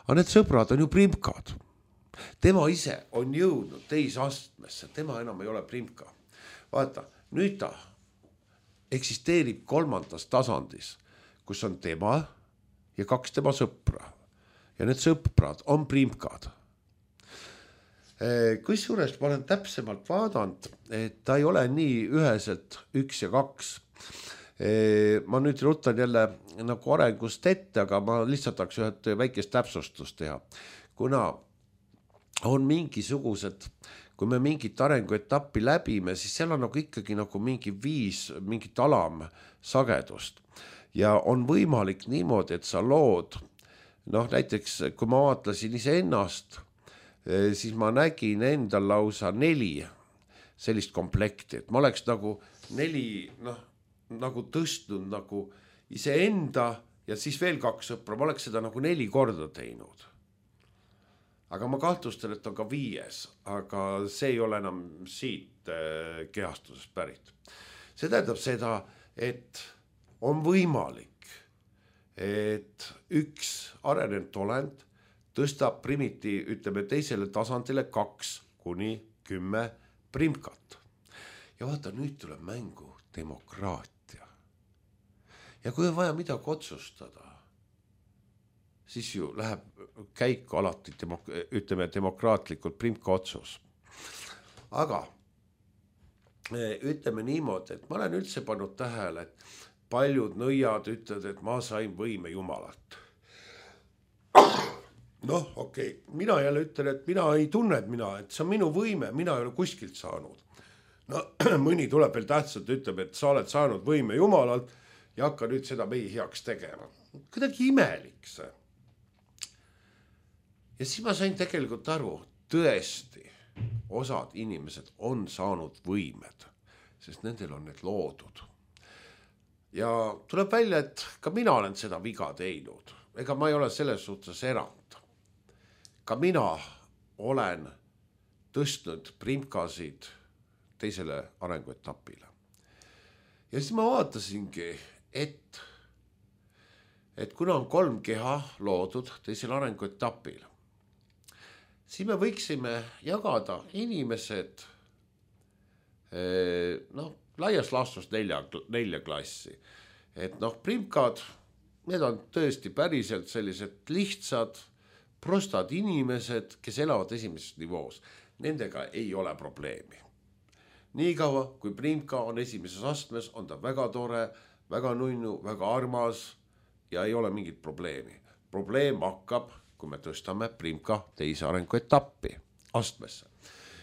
Aga need sõbrad on ju Primkad. Tema ise on jõudnud teise astmesse, tema enam ei ole Primka. Vaata, nüüd ta eksisteerib kolmandas tasandis, kus on tema ja kaks tema sõpra. Ja need sõprad on Primkad. Kusjuures ma olen täpsemalt vaadanud, et ta ei ole nii üheselt üks ja kaks. Ma nüüd rutan jälle nagu arengust ette, aga ma lihtsalt tahaks ühed väikest täpsustust teha. Kuna on mingisugused, kui me mingit arenguetappi läbime, siis seal on nagu ikkagi nagu mingi viis, mingit alamsagedust. Ja on võimalik niimoodi, et sa lood, noh näiteks kui ma vaatlasin ise ennast, siis ma nägin endal lausa neli sellist komplekti, et ma oleks nagu neli, noh, nagu tõstnud nagu ise enda ja siis veel kaks sõpra, ma oleks seda nagu neli korda teinud. Aga ma kahtlustan, et on ka viies, aga see ei ole enam siit kehastusest pärit. See tähendab seda, et on võimalik, et üks arenenud olend tõstab primiti, ütleme teisele tasandile kaks kuni kümme Primkat. Ja vaata, nüüd tuleb mängu demokraatia. Ja kui on vaja midagi otsustada, siis ju läheb käiku alati, demok- ütleme demokraatlikult Primka otsus. Aga ütleme niimoodi, et ma olen üldse pannud tähele, et paljud nõiad ütlevad, et ma sain võime Jumalalt. Noh, okei, okay. Mina jälle ütlen, et mina ei tunne, et mina, et see on minu võime, mina ei ole kuskilt saanud. No mõni tuleb veel tähtsalt, ütleb, et sa oled saanud võime Jumalalt ja hakka nüüd seda meie heaks tegema. Kuidagi imelik see. Ja siis ma sain tegelikult aru, tõesti, osad inimesed on saanud võimed, sest nendel on need loodud. Ja tuleb välja, et ka mina olen seda viga teinud. Ega ma ei ole selles suhtes erand. Ka mina olen tõstnud Primkasid teisele arenguetapile. ja siis ma vaatasingi, et, et kuna on kolm keha loodud teisel arenguetapil, siis me võiksime jagada inimesed noh, laias laastus nelja, nelja klassi. Et noh, primkad, need on tõesti päriselt sellised lihtsad, prostad inimesed, kes elavad esimeses nivoos. Nendega ei ole probleemi. Nii kaua, kui primka on esimeses astmes, on ta väga tore, väga nunnu, väga armas ja ei ole mingit probleemi. Probleem hakkab, kui me tõstame primka teise arenguetappi astmesse.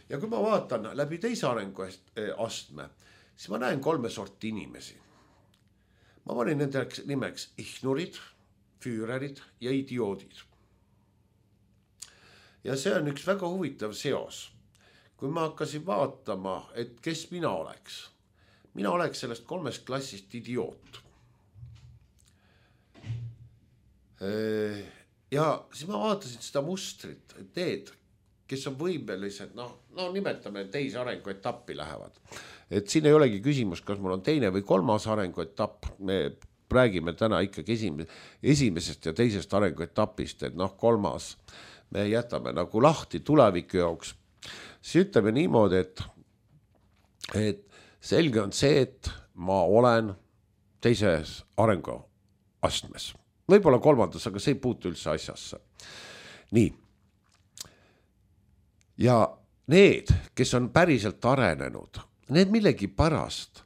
Ja kui ma vaatan läbi teise arengu astme, siis ma näen kolme sorti inimesi. Ma panin nende nimeks ihnurid, füürerid ja idioodid. Ja see on üks väga huvitav seos. Kui ma hakkasin vaatama, et kes mina oleks, mina oleks sellest kolmest klassist idioot. Ja siis ma vaatasin seda mustrit, et need, kes on võimelised, noh, no nimetame teise arenguetappi lähevad. Et siin ei olegi küsimus, kas mul on teine või kolmas arenguetapp. Me räägime täna ikkagi esimesest ja teisest arenguetapist, et noh, kolmas me jätame nagu lahti tuleviku jaoks. Siis ütleme niimoodi, et, et selge on see, et ma olen teises arenguastmes. Võib-olla kolmandas, aga see ei puutu üldse asjasse. Nii. Ja need, kes on päriselt arenenud, need millegi pärast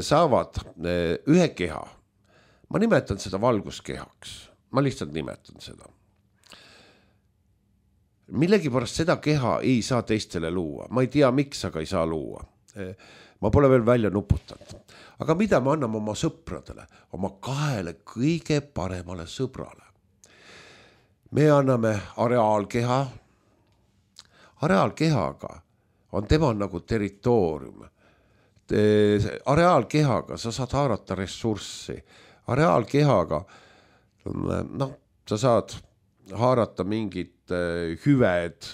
saavad ühe keha. Ma nimetan seda valguskehaks. Ma lihtsalt nimetan seda. Millegi pärast seda keha ei saa teistele luua. Ma ei tea, miks, aga ei saa luua. Ma pole veel välja nuputanud. Aga mida me anname oma sõpradele? Oma kahele kõige paremale sõbrale. Me anname areaalkeha. Areaalkehaga on tema nagu territoorium. Areaalkehaga sa saad haarata ressurssi. Areaalkehaga noh, sa saad haarata mingit hüved,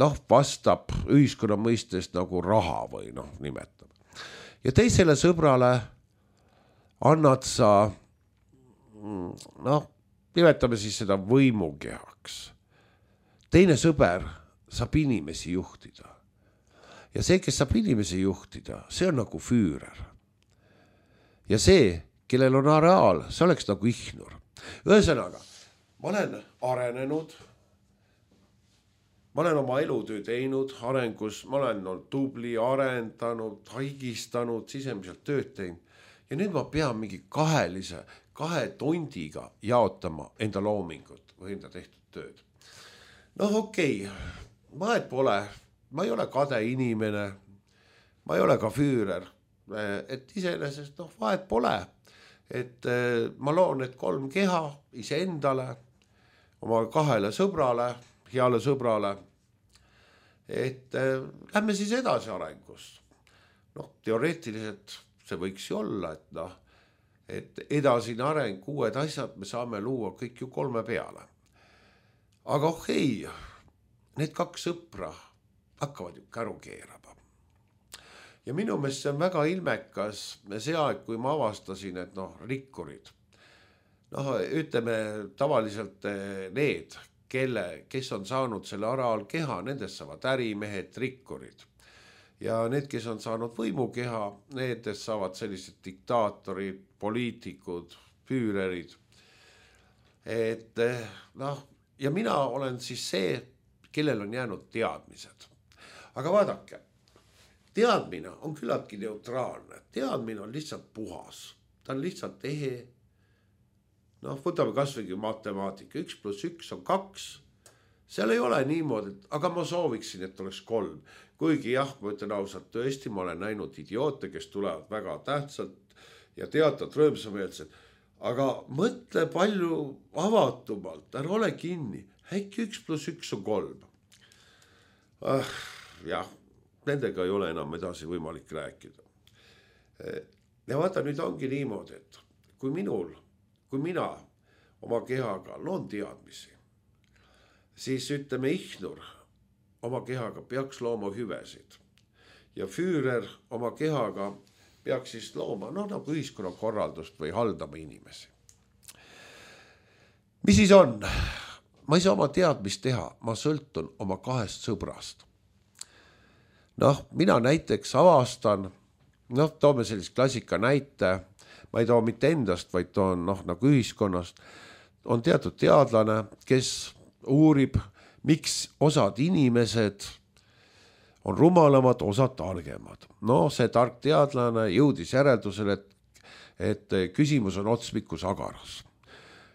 noh, vastab ühiskonna mõistest nagu raha või noh, nimetab. Ja teisele sõbrale annad sa, noh, nimetame siis seda võimukehaks. Teine sõber saab inimesi juhtida. Ja see, kes saab inimesi juhtida, see on nagu füürer. Ja see, kellel on areaal, see oleks nagu ihnur. Ühesõnaga, ma olen arenenud, ma olen oma elutöö teinud arengus, ma olen olnud tubli, arendanud, haigistanud, sisemiselt tööd teinud. Ja nüüd ma pean mingi kahelise, kahe tondiga jaotama enda loomingut või enda tehtud tööd. Noh, okei, vahet pole, ma ei ole kade inimene, ma ei ole ka füürer, et iseenesest noh, vahet pole, et ma loon need kolm keha ise endale, oma kahele sõbrale, heale sõbrale, et äh, lähme siis edasi arengust. Noh, teoreetiliselt see võiks ju olla, et noh, et edasine areng, uued asjad me saame luua kõik ju kolme peale. Aga okei, need kaks sõpra hakkavad ju käru keerama. Ja minu meelest see on väga ilmekas see aeg, kui ma avastasin, et noh, rikkurid, noh, ütleme tavaliselt need, kelle, kes on saanud selle areaalkeha, nendest saavad ärimehed, rikkurid. Ja need, kes on saanud võimukeha, nendest saavad sellised diktaatorid, poliitikud, füürerid. Et noh, ja mina olen siis see, kellel on jäänud teadmised. Aga vaadake, teadmine on küllaltki neutraalne. Teadmine on lihtsalt puhas. Ta on lihtsalt ehe. Noh, võtame kasvõi matemaatika, üks pluss üks on kaks, seal ei ole niimoodi, aga ma sooviksin, et oleks kolm. Kuigi jah, ma ütlen ausalt, tõesti, ma olen näinud idioote, kes tulevad väga tähtsalt ja teatavad rõõmsameelselt, aga mõtle palju avatumalt, ära ole kinni, äkki üks pluss üks on kolm. Ah, jah, nendega ei ole enam edasi võimalik rääkida. Ja vaata, nüüd ongi niimoodi, et kui minul Kui mina oma kehaga loon teadmisi, siis ütleme ihnur oma kehaga peaks looma hüvesid. Ja füürer oma kehaga peaks siis looma noh, nagu ühiskonnakorraldust või haldama inimesi. Mis siis on? Ma ei saa oma teadmist teha, ma sõltun oma kahest sõbrast. Noh, mina näiteks avastan, noh, toome sellist klassika näite, ma ei too mitte endast, vaid toon noh, nagu ühiskonnast, on teatud teadlane, kes uurib, miks osad inimesed on rumalamad, osad targemad. No see tark teadlane jõudis järeldusele, et, et küsimus on otsmiku sagaras.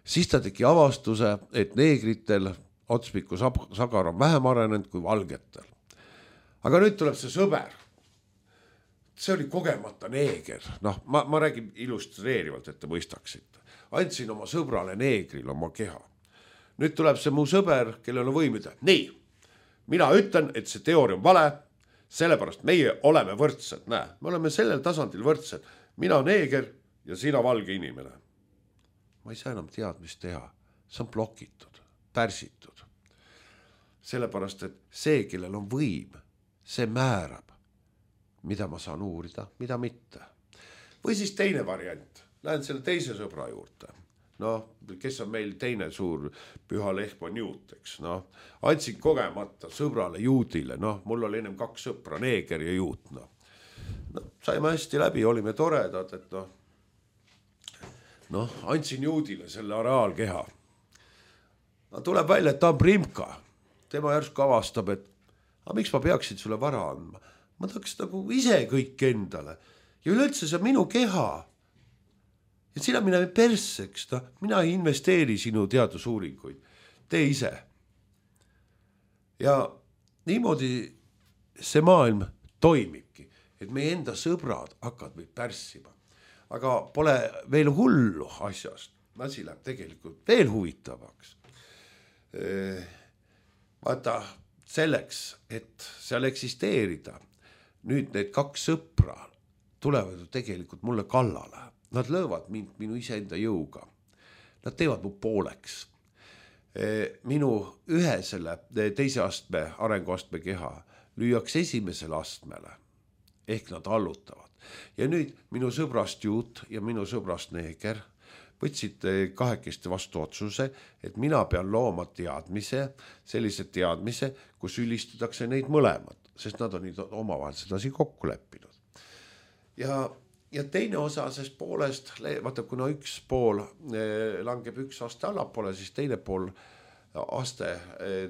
Siis ta tegi avastuse, et neegritel otsmiku sagar on vähem arenenud kui valgetel. Aga nüüd tuleb see sõber. See oli kogemata neeger. Noh, ma, ma räägin illustreerivalt, et te mõistaksite. Andsin oma sõbrale neegril oma keha. Nüüd tuleb see mu sõber, kellel on võimida. Nii, mina ütlen, et see teooria on vale, sellepärast meie oleme võrdsed. Näe, me oleme sellel tasandil võrdsed. Mina neeger ja sina valge inimene. Ma ei saa enam teadmist teha. See on blokitud, pärsitud. Sellepärast, et see, kellel on võim, see määrab, mida ma saan uurida, mida mitte. Või siis teine variant. Lähen selle teise sõbra juurde. Noh, kes on meil teine suur püha lehm on juut, eks. Noh, andsin kogemata sõbrale juudile. Noh, mul oli ennem kaks sõpra, neeger ja juut. Noh, no, saime hästi läbi, olime toredad, et noh, noh, andsin juudile selle areaalkeha. No, tuleb välja, et ta on primka. Tema järsku avastab, et aga miks ma peaksin sulle vara andma? Ma tahaks nagu ise kõik endale. Ja üleüldse see on minu keha. Ja sina mine perseks, ta, mina ei investeeri sinu teadusuuringuid. Tee ise. Ja niimoodi see maailm toimibki, et meie enda sõbrad hakkavad meid pärssima. Aga pole veel hullu asjast. Asi läheb tegelikult veel huvitavaks. Vaata, selleks, et seal eksisteerida, nüüd need kaks sõpra tulevad ju tegelikult mulle kallale. Nad löövad mind minu iseenda jõuga. Nad teevad mu pooleks. Minu ühe selle teise astme, arenguastme keha lüüakse esimesele astmele. Ehk nad allutavad. Ja nüüd minu sõbrast juut ja minu sõbrast neeger võtsid kahekesti vastu otsuse, et mina pean looma teadmise, sellise teadmise, kus ülistatakse neid mõlemad, sest nad on omavahel sedasi kokku leppinud. Ja Ja teine osa sest poolest, vaata kuna üks pool langeb üks aste allapoole, siis teine pool aste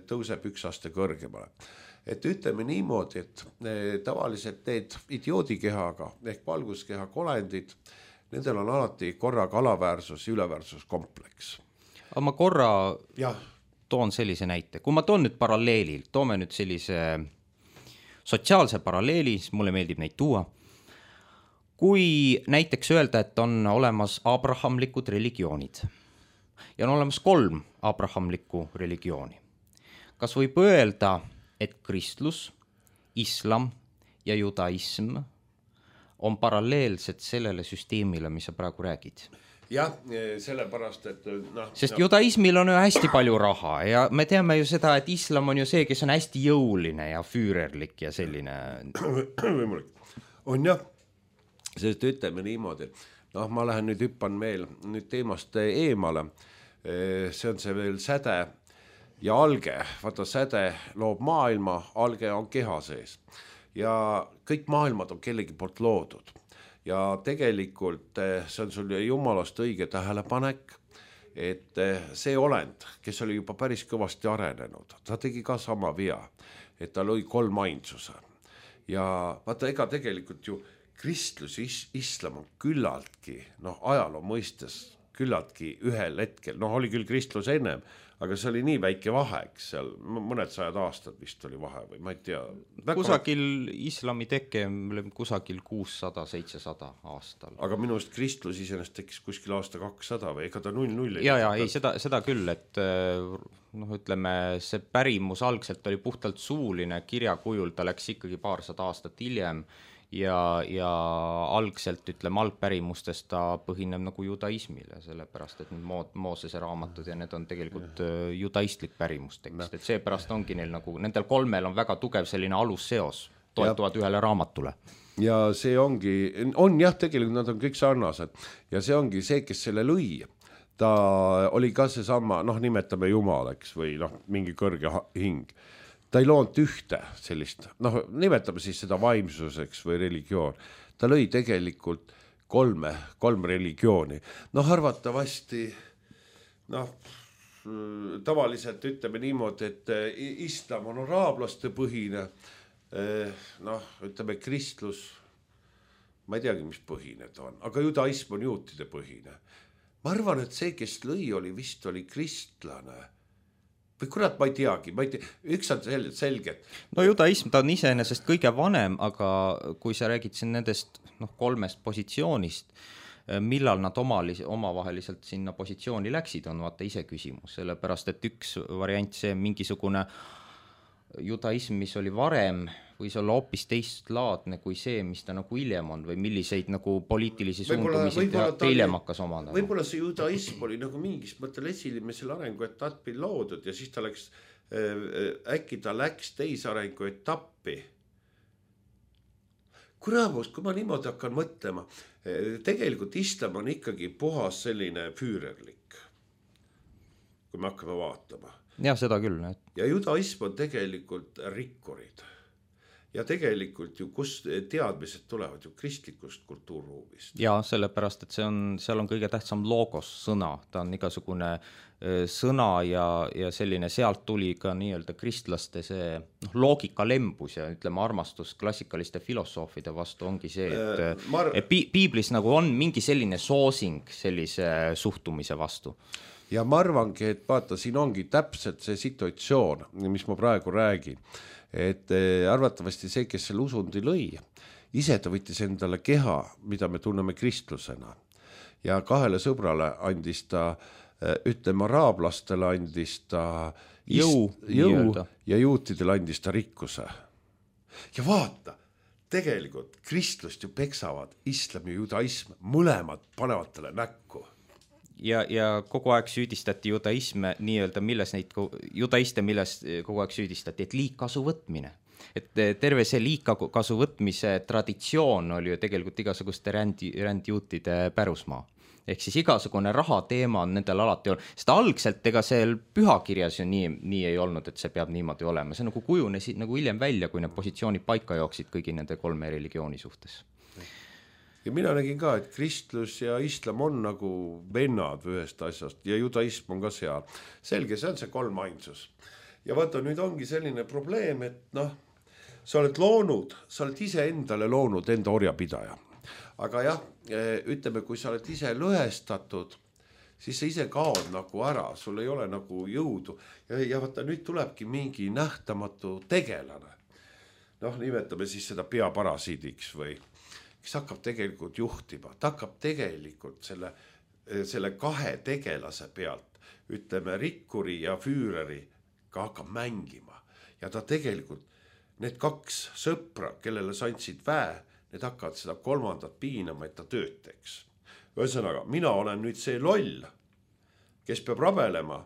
tõuseb üks aste kõrgemale. Et ütleme niimoodi, et tavaliselt need idioodikehaga ehk valguskeha kolendid, nendel on alati korraga alaväärsus ja üleväärsuskompleks. Aga ma korra ja. toon sellise näite. Kui ma toon nüüd paralleeli, toome nüüd sellise sotsiaalse paralleeli, siis mulle meeldib neid tuua. Kui näiteks öelda, et on olemas abrahamlikud religioonid ja on olemas kolm abrahamlikku religiooni. Kas võib öelda, et kristlus, islam ja judaism on paralleelsed sellele süsteemile, mis sa praegu räägid? Jah, sellepärast, et noh, sest no. Judaismil on ju hästi palju raha ja me teame ju seda, et islam on ju see, kes on hästi jõuline ja füürerlik ja selline. Võimalik. On jah. Sest ütleme niimoodi, noh, ma lähen nüüd hüppan veel nüüd teemast eemale. See on see veel säde ja alge. Vaata, säde loob maailma, alge on keha sees. Ja kõik maailmad on kellegi poolt loodud. Ja tegelikult see on sul jumalast õige tähelepanek, et see olend, kes oli juba päris kõvasti arenenud, ta tegi ka sama vea, et ta lõi kolm ainsuse. Ja vaata, ega tegelikult ju kristlus, islam on küllaltki, noh, ajaloo mõistes küllaltki ühel hetkel, noh, oli küll kristlus ennem, aga see oli nii väike vahe, eks seal mõned sajad aastad vist oli vahe või ma ei tea. Kusagil islami teke kusagil kuussada seitsesada aastal. Aga minu arust kristlus iseenesest tekkis kuskil aasta kakssada või ega ta null null. Ja, ja, ei, seda, seda küll, et noh, ütleme, see pärimus algselt oli puhtalt suuline kirjakujul, ta läks ikkagi paarsada aastat hiljem. Ja, ja algselt, ütleme, algpärimustest ta põhineb nagu judaismile, sellepärast, et need Moosese raamatud ja need on tegelikult judaistlik pärimustekst, et seepärast ongi neil nagu, nendel kolmel on väga tugev selline alusseos, toetuvad ühele raamatule. ja see ongi, on jah, tegelikult nad on kõik sarnased ja see ongi see, kes selle lõi, ta oli ka see sama, noh, nimetame jumalaks või noh, mingi kõrge hing. Ta ei loonud ühte sellist, noh, nimetame siis seda vaimsuseks või religioon. Ta lõi tegelikult kolme, kolm religiooni. Noh, arvatavasti, noh, tavaliselt ütleme niimoodi, et islam on araablaste põhine, noh, ütleme kristlus, ma ei teagi, mis põhine ta on, aga judaism on juutide põhine. Ma arvan, et see, kes lõi, oli vist oli kristlane. Või kurat, ma ei teagi, ma ei tea, üks on selge. No judaism, ta on iseenesest kõige vanem, aga kui sa räägid siin nendest noh, kolmest positsioonist, millal nad omali, omavaheliselt sinna positsiooni läksid, on vaata ise küsimus, sellepärast et üks variant, see mingisugune judaism, mis oli varem, võis olla hoopis teistlaadne kui see, mis ta nagu hiljem on või milliseid nagu poliitilisi suundumisi hiljem hakkas omandama. Võib-olla see judaism oli nagu mingis mõttel esimesel arenguetapil loodud ja siis ta läks, äkki ta läks teise arenguetappi. Kuramus, kui ma niimoodi hakkan mõtlema, tegelikult islam on ikkagi puhas selline füürerlik, kui me hakkame vaatama. Ja seda küll. Et... Ja judaism on tegelikult rikkurid. Ja tegelikult ju kus teadmised tulevad ju kristlikust kultuurruumist. Ja sellepärast, et see on, seal on kõige tähtsam logos, sõna. Ta on igasugune sõna ja, ja selline sealt tuli ka nii-öelda kristlaste see noh, loogika lembus ja ütleme armastus klassikaliste filosoofide vastu ongi see, et, Mar... et piiblis nagu on mingi selline soosing sellise suhtumise vastu. Ja ma arvangi, et vaata, siin ongi täpselt see situatsioon, mis ma praegu räägin. Et arvatavasti see, kes selle usundi lõi, ise ta võttis endale keha, mida me tunneme kristlusena. Ja kahele sõbrale andis ta, ütleme araablastele andis ta jõu, jõu ja juutidele andis ta rikkuse. Ja vaata, tegelikult kristlust ju peksavad islam ja judaism, mõlemad panevad talle näkku. Ja, ja kogu aeg süüdistati judaisme nii-öelda, milles neid judaiste, milles kogu aeg süüdistati, et liigkasu võtmine. Et terve see liigkasu võtmise traditsioon oli ju tegelikult igasuguste rändi, rändjuutide pärusmaa. Ehk siis igasugune raha teema on nendel alati olnud. Seda algselt ega see pühakirjas ju nii, nii ei olnud, et see peab niimoodi olema. See nagu kujunesid nagu hiljem välja, kui need positsioonid paika jooksid kõigi nende kolme religiooni suhtes. Ja mina nägin ka, et kristlus ja islam on nagu vennad ühest asjast ja judaism on ka seal. Selge, see on see kolm ainsus. Ja vaata, nüüd ongi selline probleem, et noh, sa oled loonud, sa oled ise endale loonud enda orjapidaja. Aga jah, ütleme, kui sa oled ise lõhestatud, siis sa ise kaod nagu ära, sul ei ole nagu jõudu. Ja, ja vaata, nüüd tulebki mingi nähtamatu tegelane. Noh, nimetame siis seda peaparasiidiks või kes hakkab tegelikult juhtima, ta hakkab tegelikult selle, selle kahe tegelase pealt, ütleme rikkuri ja füüreri, ka hakkab mängima. Ja ta tegelikult, need kaks sõpra, kellele sa andsid väe, need hakkavad seda kolmandat piinama, et ta tööd teeks. Ühesõnaga, mina olen nüüd see loll, kes peab rabelema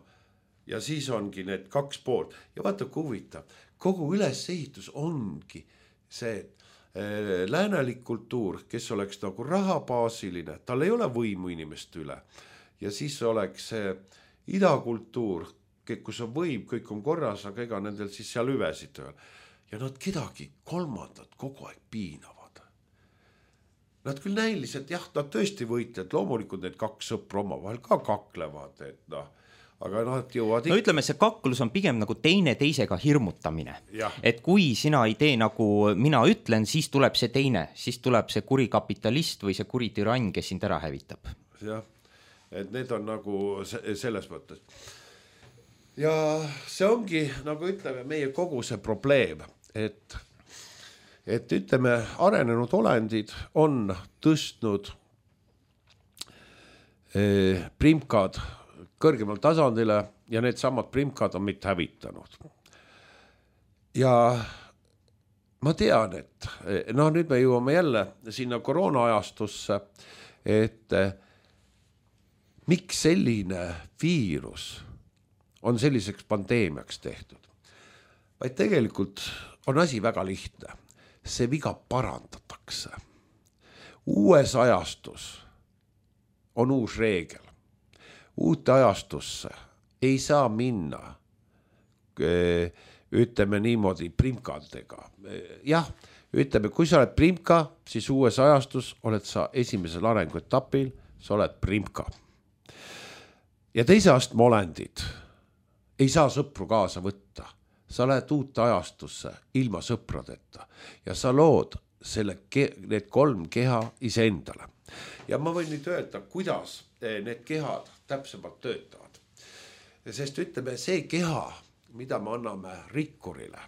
ja siis ongi need kaks poolt. Ja vaata, kui huvitav, kogu ülesehitus ongi see, läänelik kultuur, kes oleks nagu rahabaasiline, tal ei ole võimu inimest üle. Ja siis oleks see idakultuur, kus on võim, kõik on korras, aga ega nendel siis seal hüvesid tööl. Ja nad kedagi kolmandat kogu aeg piinavad. Nad küll näiliselt, jah, nad tõesti võitled, loomulikult need kaks sõpra oma vahel ka kaklevad, et noh, aga noh, et jõuad no ütleme, see kaklus on pigem nagu teine teisega hirmutamine. Ja. Et kui sina ei tee nagu mina ütlen, siis tuleb see teine, siis tuleb see kuri kapitalist või see kuri türann, kes sind ära hävitab. Jah, et need on nagu selles mõttes. Ja see ongi, nagu ütleme, meie kogu see probleem, et, et ütleme, arenenud olendid on tõstnud eh, primkad kõrgemal tasandile ja need samad primkad on mitte hävitanud. Ja ma tean, et noh, nüüd me jõuame jälle sinna koroonaajastusse, et miks selline viirus on selliseks pandeemiaks tehtud. Vaid tegelikult on asi väga lihtne. see viga parandatakse. Uues ajastus on uus reegel. Uute ajastusse ei saa minna, ütleme niimoodi, primkadega. Jah, ütleme, kui sa oled primka, siis uues ajastus oled sa esimesel arenguetapil, sa oled primka. Ja teise astme olendid ei saa sõpru kaasa võtta. Sa lähed uute ajastusse ilma sõpradeta ja sa lood selle, need kolm keha iseendale. Ja ma võin nüüd öelda, kuidas need kehad täpsemalt töötavad. Sest ütleme, see keha, mida me anname rikkurile,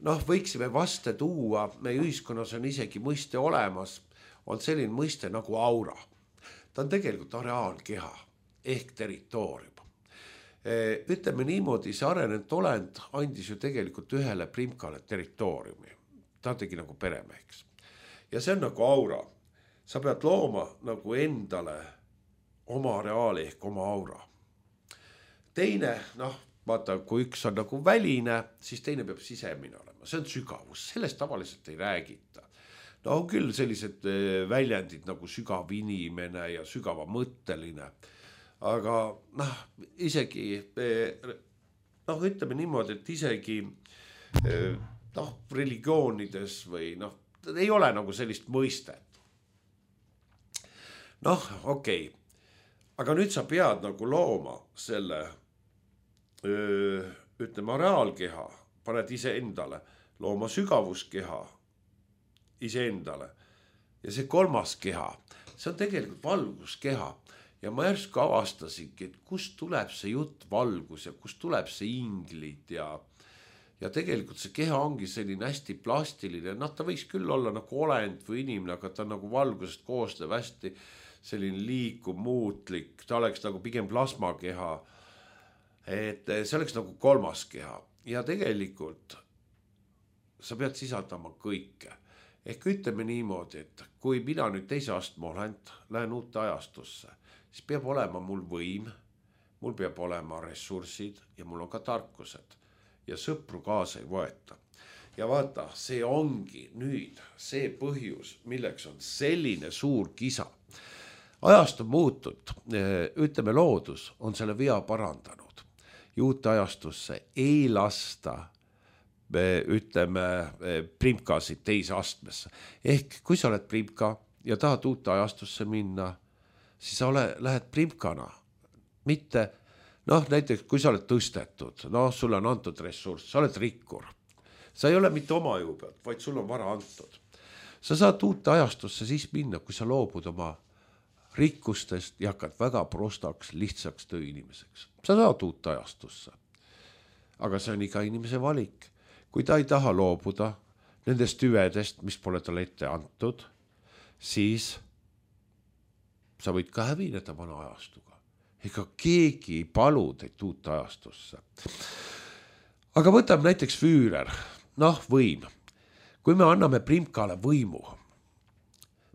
noh, võiksime vaste tuua, meie ühiskonnas on isegi mõiste olemas, on selline mõiste nagu aura. Ta on tegelikult areaalkeha ehk territoorium. Ütleme niimoodi, see arenenud olend andis ju tegelikult ühele primkale territooriumi. Ta tegi nagu peremeheks. Ja see on nagu aura. Sa pead looma nagu endale oma areaali ehk oma aura. Teine, noh, vaata, kui üks on nagu väline, siis teine peab sisemine olema. See on sügavus, sellest tavaliselt ei räägita. No on küll sellised väljendid nagu sügav inimene ja sügava mõtteline. Aga noh, isegi, noh, ütleme niimoodi, et isegi noh, religioonides või noh, ei ole nagu sellist mõistet. Noh, okei. Aga nüüd sa pead nagu looma selle, ütleme, areaalkeha, paned ise endale, looma sügavuskeha ise endale. Ja see kolmas keha, see on tegelikult valguskeha. Ja ma järsku avastasingi, et kust tuleb see jutt valgus ja kust tuleb see inglid ja, ja tegelikult see keha ongi selline hästi plastiline. Noh, ta võiks küll olla nagu olend või inimene, aga ta on nagu valgusest koostöö hästi selline liikuv, muutlik. Ta oleks nagu pigem plasmakeha. Et see oleks nagu kolmas keha. Ja tegelikult sa pead sisaldama kõike. Ehk ütleme niimoodi, et kui mina nüüd teise astme olen, lähen uute ajastusse, siis peab olema mul võim, mul peab olema ressursid ja mul on ka tarkused ja sõpru kaasa ei võeta. Ja vaata, see ongi nüüd see põhjus, milleks on selline suur kisa. Ajast on muutud, ütleme loodus on selle vea parandanud. Ja uute ajastusse ei lasta, ütleme, primkasid teise astmesse. Ehk kui sa oled primka ja tahad uute ajastusse minna, siis sa ole, lähed primkana, mitte, noh, näiteks kui sa oled tõstetud, noh, sulle on antud ressurss, sa oled rikkur. Sa ei ole mitte oma jõu pealt, vaid sul on vara antud. Sa saad uute ajastusse siis minna, kui sa loobud oma rikkustest ja hakkad väga prostaks, lihtsaks tööinimeseks. Sa saad uute ajastusse. Aga see on iga inimese valik. Kui ta ei taha loobuda nendest tüvedest, mis pole talle ette antud, siis sa võid ka hävineda vana ajastuga. Ega keegi ei palu teid uut ajastusse. Aga võtab näiteks Füürer, noh, võim. Kui me anname primkale võimu,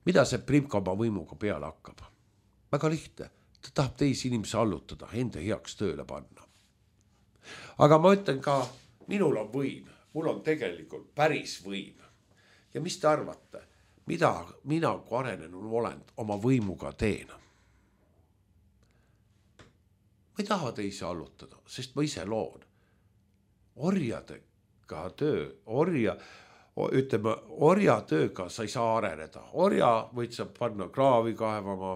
mida see primka oma võimuga peale hakkab? Väga lihtne. Ta tahab teisi inimesi allutada, enda heaks tööle panna. Aga ma ütlen ka, minul on võim. Mul on tegelikult päris võim. Ja mis te arvate? Mida mina kui arenenud olend oma võimuga teen? Ma ei taha teisi allutada, sest ma ise loon. Orjadega töö, orja, ütleme, orja tööga sa ei saa areneda. Orja võid sa panna kraavi kaevama,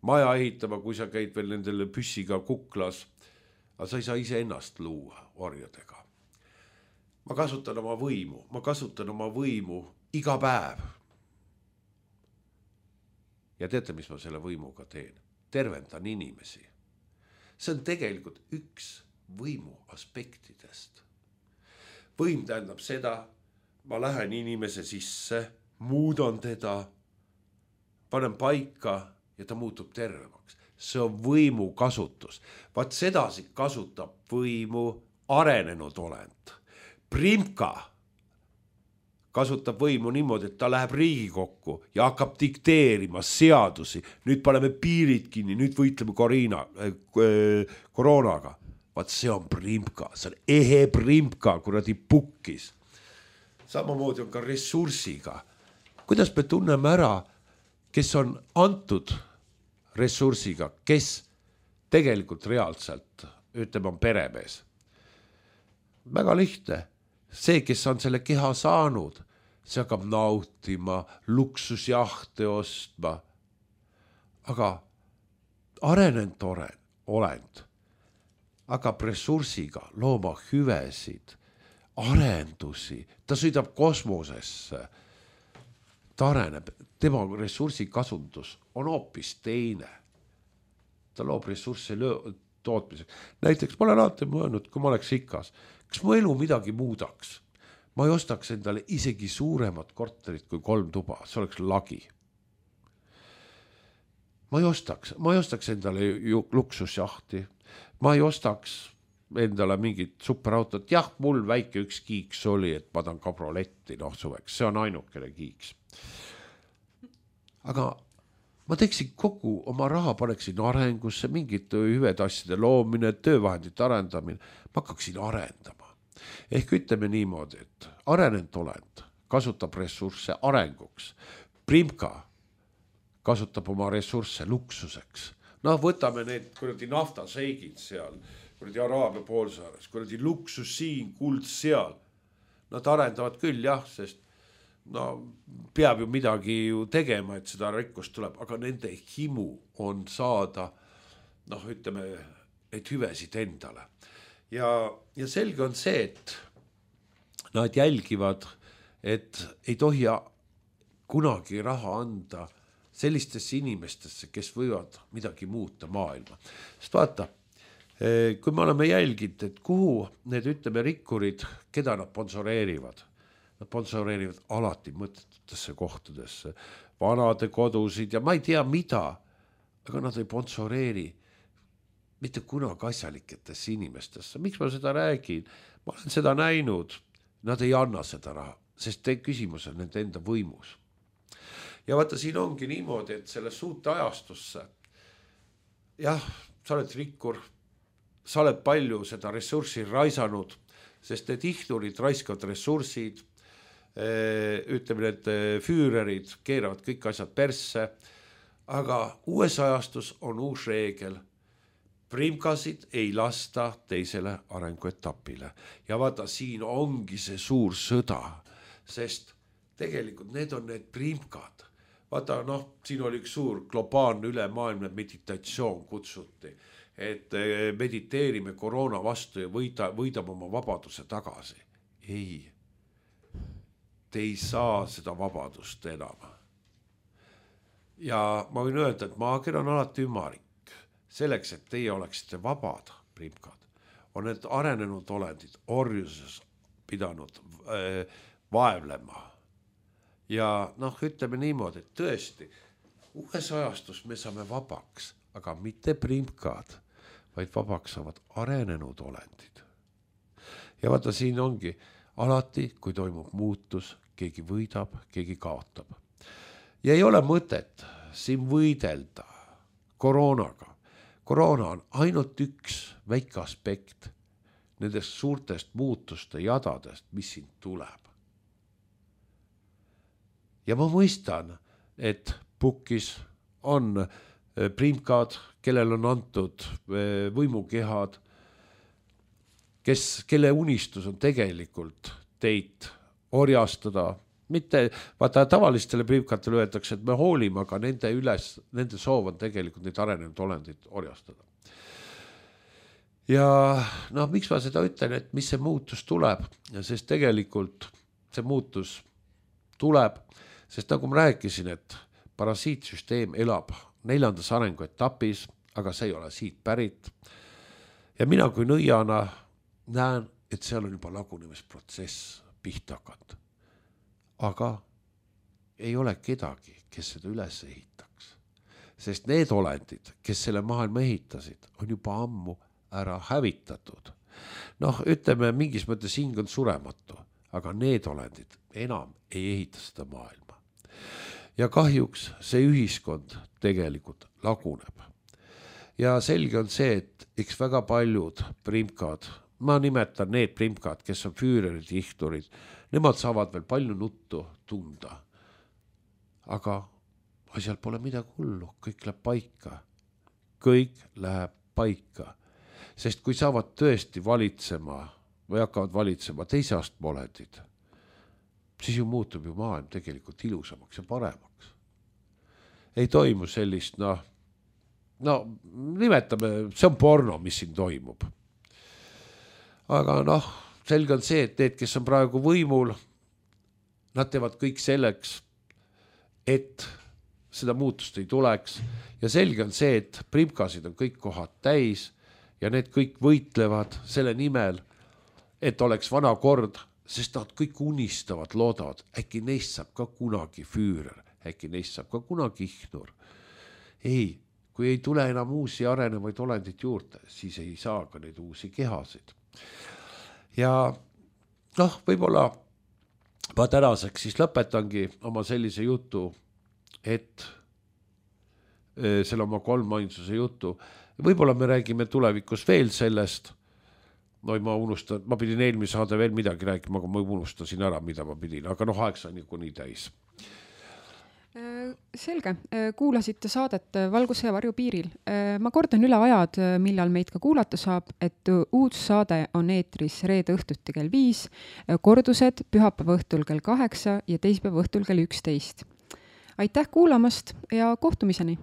maja ehitama, kui sa käid veel nendele püssiga kuklas. Aga sa ei saa ise ennast luua orjadega. Ma kasutan oma võimu, ma kasutan oma võimu iga päev. Ja teate, mis ma selle võimuga teen? Tervendan inimesi. See on tegelikult üks võimu aspektidest. Võim tähendab seda, ma lähen inimese sisse, muudan teda, panen paika ja ta muutub tervemaks. See on võimu kasutus. Vaat sedasi kasutab võimu arenenud olend. Primka kasutab võimu niimoodi, et ta läheb Riigikokku ja hakkab dikteerima seadusi. Nüüd paneme piirid kinni, nüüd võitleme koriina, äh, koroonaga. Vaat see on primka, see on ehe primka, kuradi pukkis. samamoodi on ka ressursiga. Kuidas me tunneme ära, kes on antud ressursiga, kes tegelikult reaalselt, ütleme, on peremees. Väga lihtne. See, kes on selle keha saanud, see hakkab nautima, luksusjahte ostma. Aga arenenud olend hakkab ressursiga looma hüvesid, arendusi, ta sõidab kosmosesse, ta areneb, tema ressursi kasundus on hoopis teine. Ta loob ressurssi tootmiseks. Näiteks ma olen alati mõelnud, kui ma oleks ikas, kas mu elu midagi muudaks? Ma ei ostaks endale isegi suuremat korterit kui kolm tuba, see oleks lagi. Ma ei ostaks, ma ei ostaks endale luksusjahti, ma ei ostaks endale mingit superautot. Jah, mul väike üks kiiks oli, et ma tahan kabroletti, noh suveks, see on ainukene kiiks. Aga ma teeksin kogu oma raha, paneksin arengusse, mingit hüved asjade loomine, töövahendite arendamine, ma hakkaksin arendama. Ehk ütleme niimoodi, et arenenud olend kasutab ressursse arenguks. Primka kasutab oma ressursse luksuseks. Noh, võtame need kuradi naftaseigid seal, kuradi Araabia poolsaares, kuradi luksus siin, kuld seal. Nad arendavad küll, jah, sest no, peab ju midagi ju tegema, et seda rikkust tuleb, aga nende himu on saada, noh, ütleme, et hüvesid endale. Ja, ja selge on see, et nad jälgivad, et ei tohi kunagi raha anda sellistesse inimestesse, kes võivad midagi muuta maailma. Sest vaata, kui me oleme jälginud, et kuhu need, ütleme, rikkurid, keda nad sponsoreerivad, nad sponsoreerivad alati mõttetutesse kohtadesse, vanade kodusid ja ma ei tea mida, aga nad ei sponsoreeri mitte kunagi asjaliketesse inimestesse. Miks ma seda räägin? Ma olen seda näinud. Nad ei anna seda raha, sest te küsimus on nende enda võimus. Ja vaata, siin ongi niimoodi, et selle suute ajastusse, jah, sa oled rikkur, sa oled palju seda ressurssi raisanud, sest need ihturid raiskavad ressursid, ütleme, need füürerid keeravad kõik asjad persse, aga uues ajastus on uus reegel. Primkasid ei lasta teisele arenguetapile. Ja vaata, siin ongi see suur sõda, sest tegelikult need on need primkad. Vaata, noh, siin oli üks suur globaalne ülemaailmne meditatsioon kutsuti, et mediteerime koroona vastu ja võida, võidame oma vabaduse tagasi. Ei, te ei saa seda vabadust enam. Ja ma võin öelda, et maager on alati ümarik. Selleks, et teie oleksite vabad, primkad, on need arenenud olendid orjuses pidanud äh, vaevlema. Ja noh, ütleme niimoodi, et tõesti, uues ajastus me saame vabaks, aga mitte primkad, vaid vabaks saavad arenenud olendid. Ja vaata, siin ongi alati, kui toimub muutus, keegi võidab, keegi kaotab. Ja ei ole mõtet siin võidelda koroonaga. Koroona on ainult üks väike aspekt nendest suurtest muutuste jadadest, mis siin tuleb. Ja ma mõistan, et Pukkis on primkad, kellel on antud võimukehad, kes, kelle unistus on tegelikult teid orjastada. Mitte, vaata, tavalistele primkatele öeldakse, et me hoolime, aga nende üles, nende soov on tegelikult neid arenenud olendid orjastada. Ja noh, miks ma seda ütlen, et mis see muutus tuleb, sest tegelikult see muutus tuleb, sest nagu ma rääkisin, et parasiitsüsteem elab neljandas arenguetapis, aga see ei ole siit pärit. Ja mina kui nõiana näen, et seal on juba lagunemisprotsess pihta hakanud. Aga ei ole kedagi, kes seda üles ehitaks. Sest need olendid, kes selle maailma ehitasid, on juba ammu ära hävitatud. Noh, ütleme, mingis mõttes hing on surematu, aga need olendid enam ei ehita seda maailma. Ja kahjuks see ühiskond tegelikult laguneb. Ja selge on see, et eks väga paljud primkad, ma nimetan need primkad, kes on füürerid, ihturid, nemad saavad veel palju nuttu tunda. Aga asjal pole midagi hullu, kõik läheb paika. Kõik läheb paika. Sest kui saavad tõesti valitsema või hakkavad valitsema teise astme olendid, siis ju muutub ju maailm tegelikult ilusamaks ja paremaks. Ei toimu sellist, noh, no nimetame, see on porno, mis siin toimub. Aga noh, selge on see, et need, kes on praegu võimul, nad teevad kõik selleks, et seda muutust ei tuleks. Ja selge on see, et primkasid on kõik kohad täis ja need kõik võitlevad selle nimel, et oleks vana kord, sest nad kõik unistavad, loodavad, äkki neist saab ka kunagi füürer, äkki neist saab ka kunagi ihnur. Ei, kui ei tule enam uusi arenevaid olendid juurde, siis ei saa ka neid uusi kehasid. Ja noh, võib-olla ma tänaseks siis lõpetangi oma sellise jutu, et selle oma kolmainsuse jutu. Võib-olla me räägime tulevikus veel sellest. No ma unustan, ma pidin eelmise saade veel midagi rääkima, aga ma unustasin ära, mida ma pidin, aga noh, aeg sai nii täis. Selge, kuulasite saadet Valguse ja varju piiril. Ma kordan üle ajad, millal meid ka kuulata saab, et uus saade on eetris reede õhtuti kell viis, kordused pühapäeva õhtul kell kaheksa ja teisipäeva õhtul kell üksteist. Aitäh kuulamast ja kohtumiseni!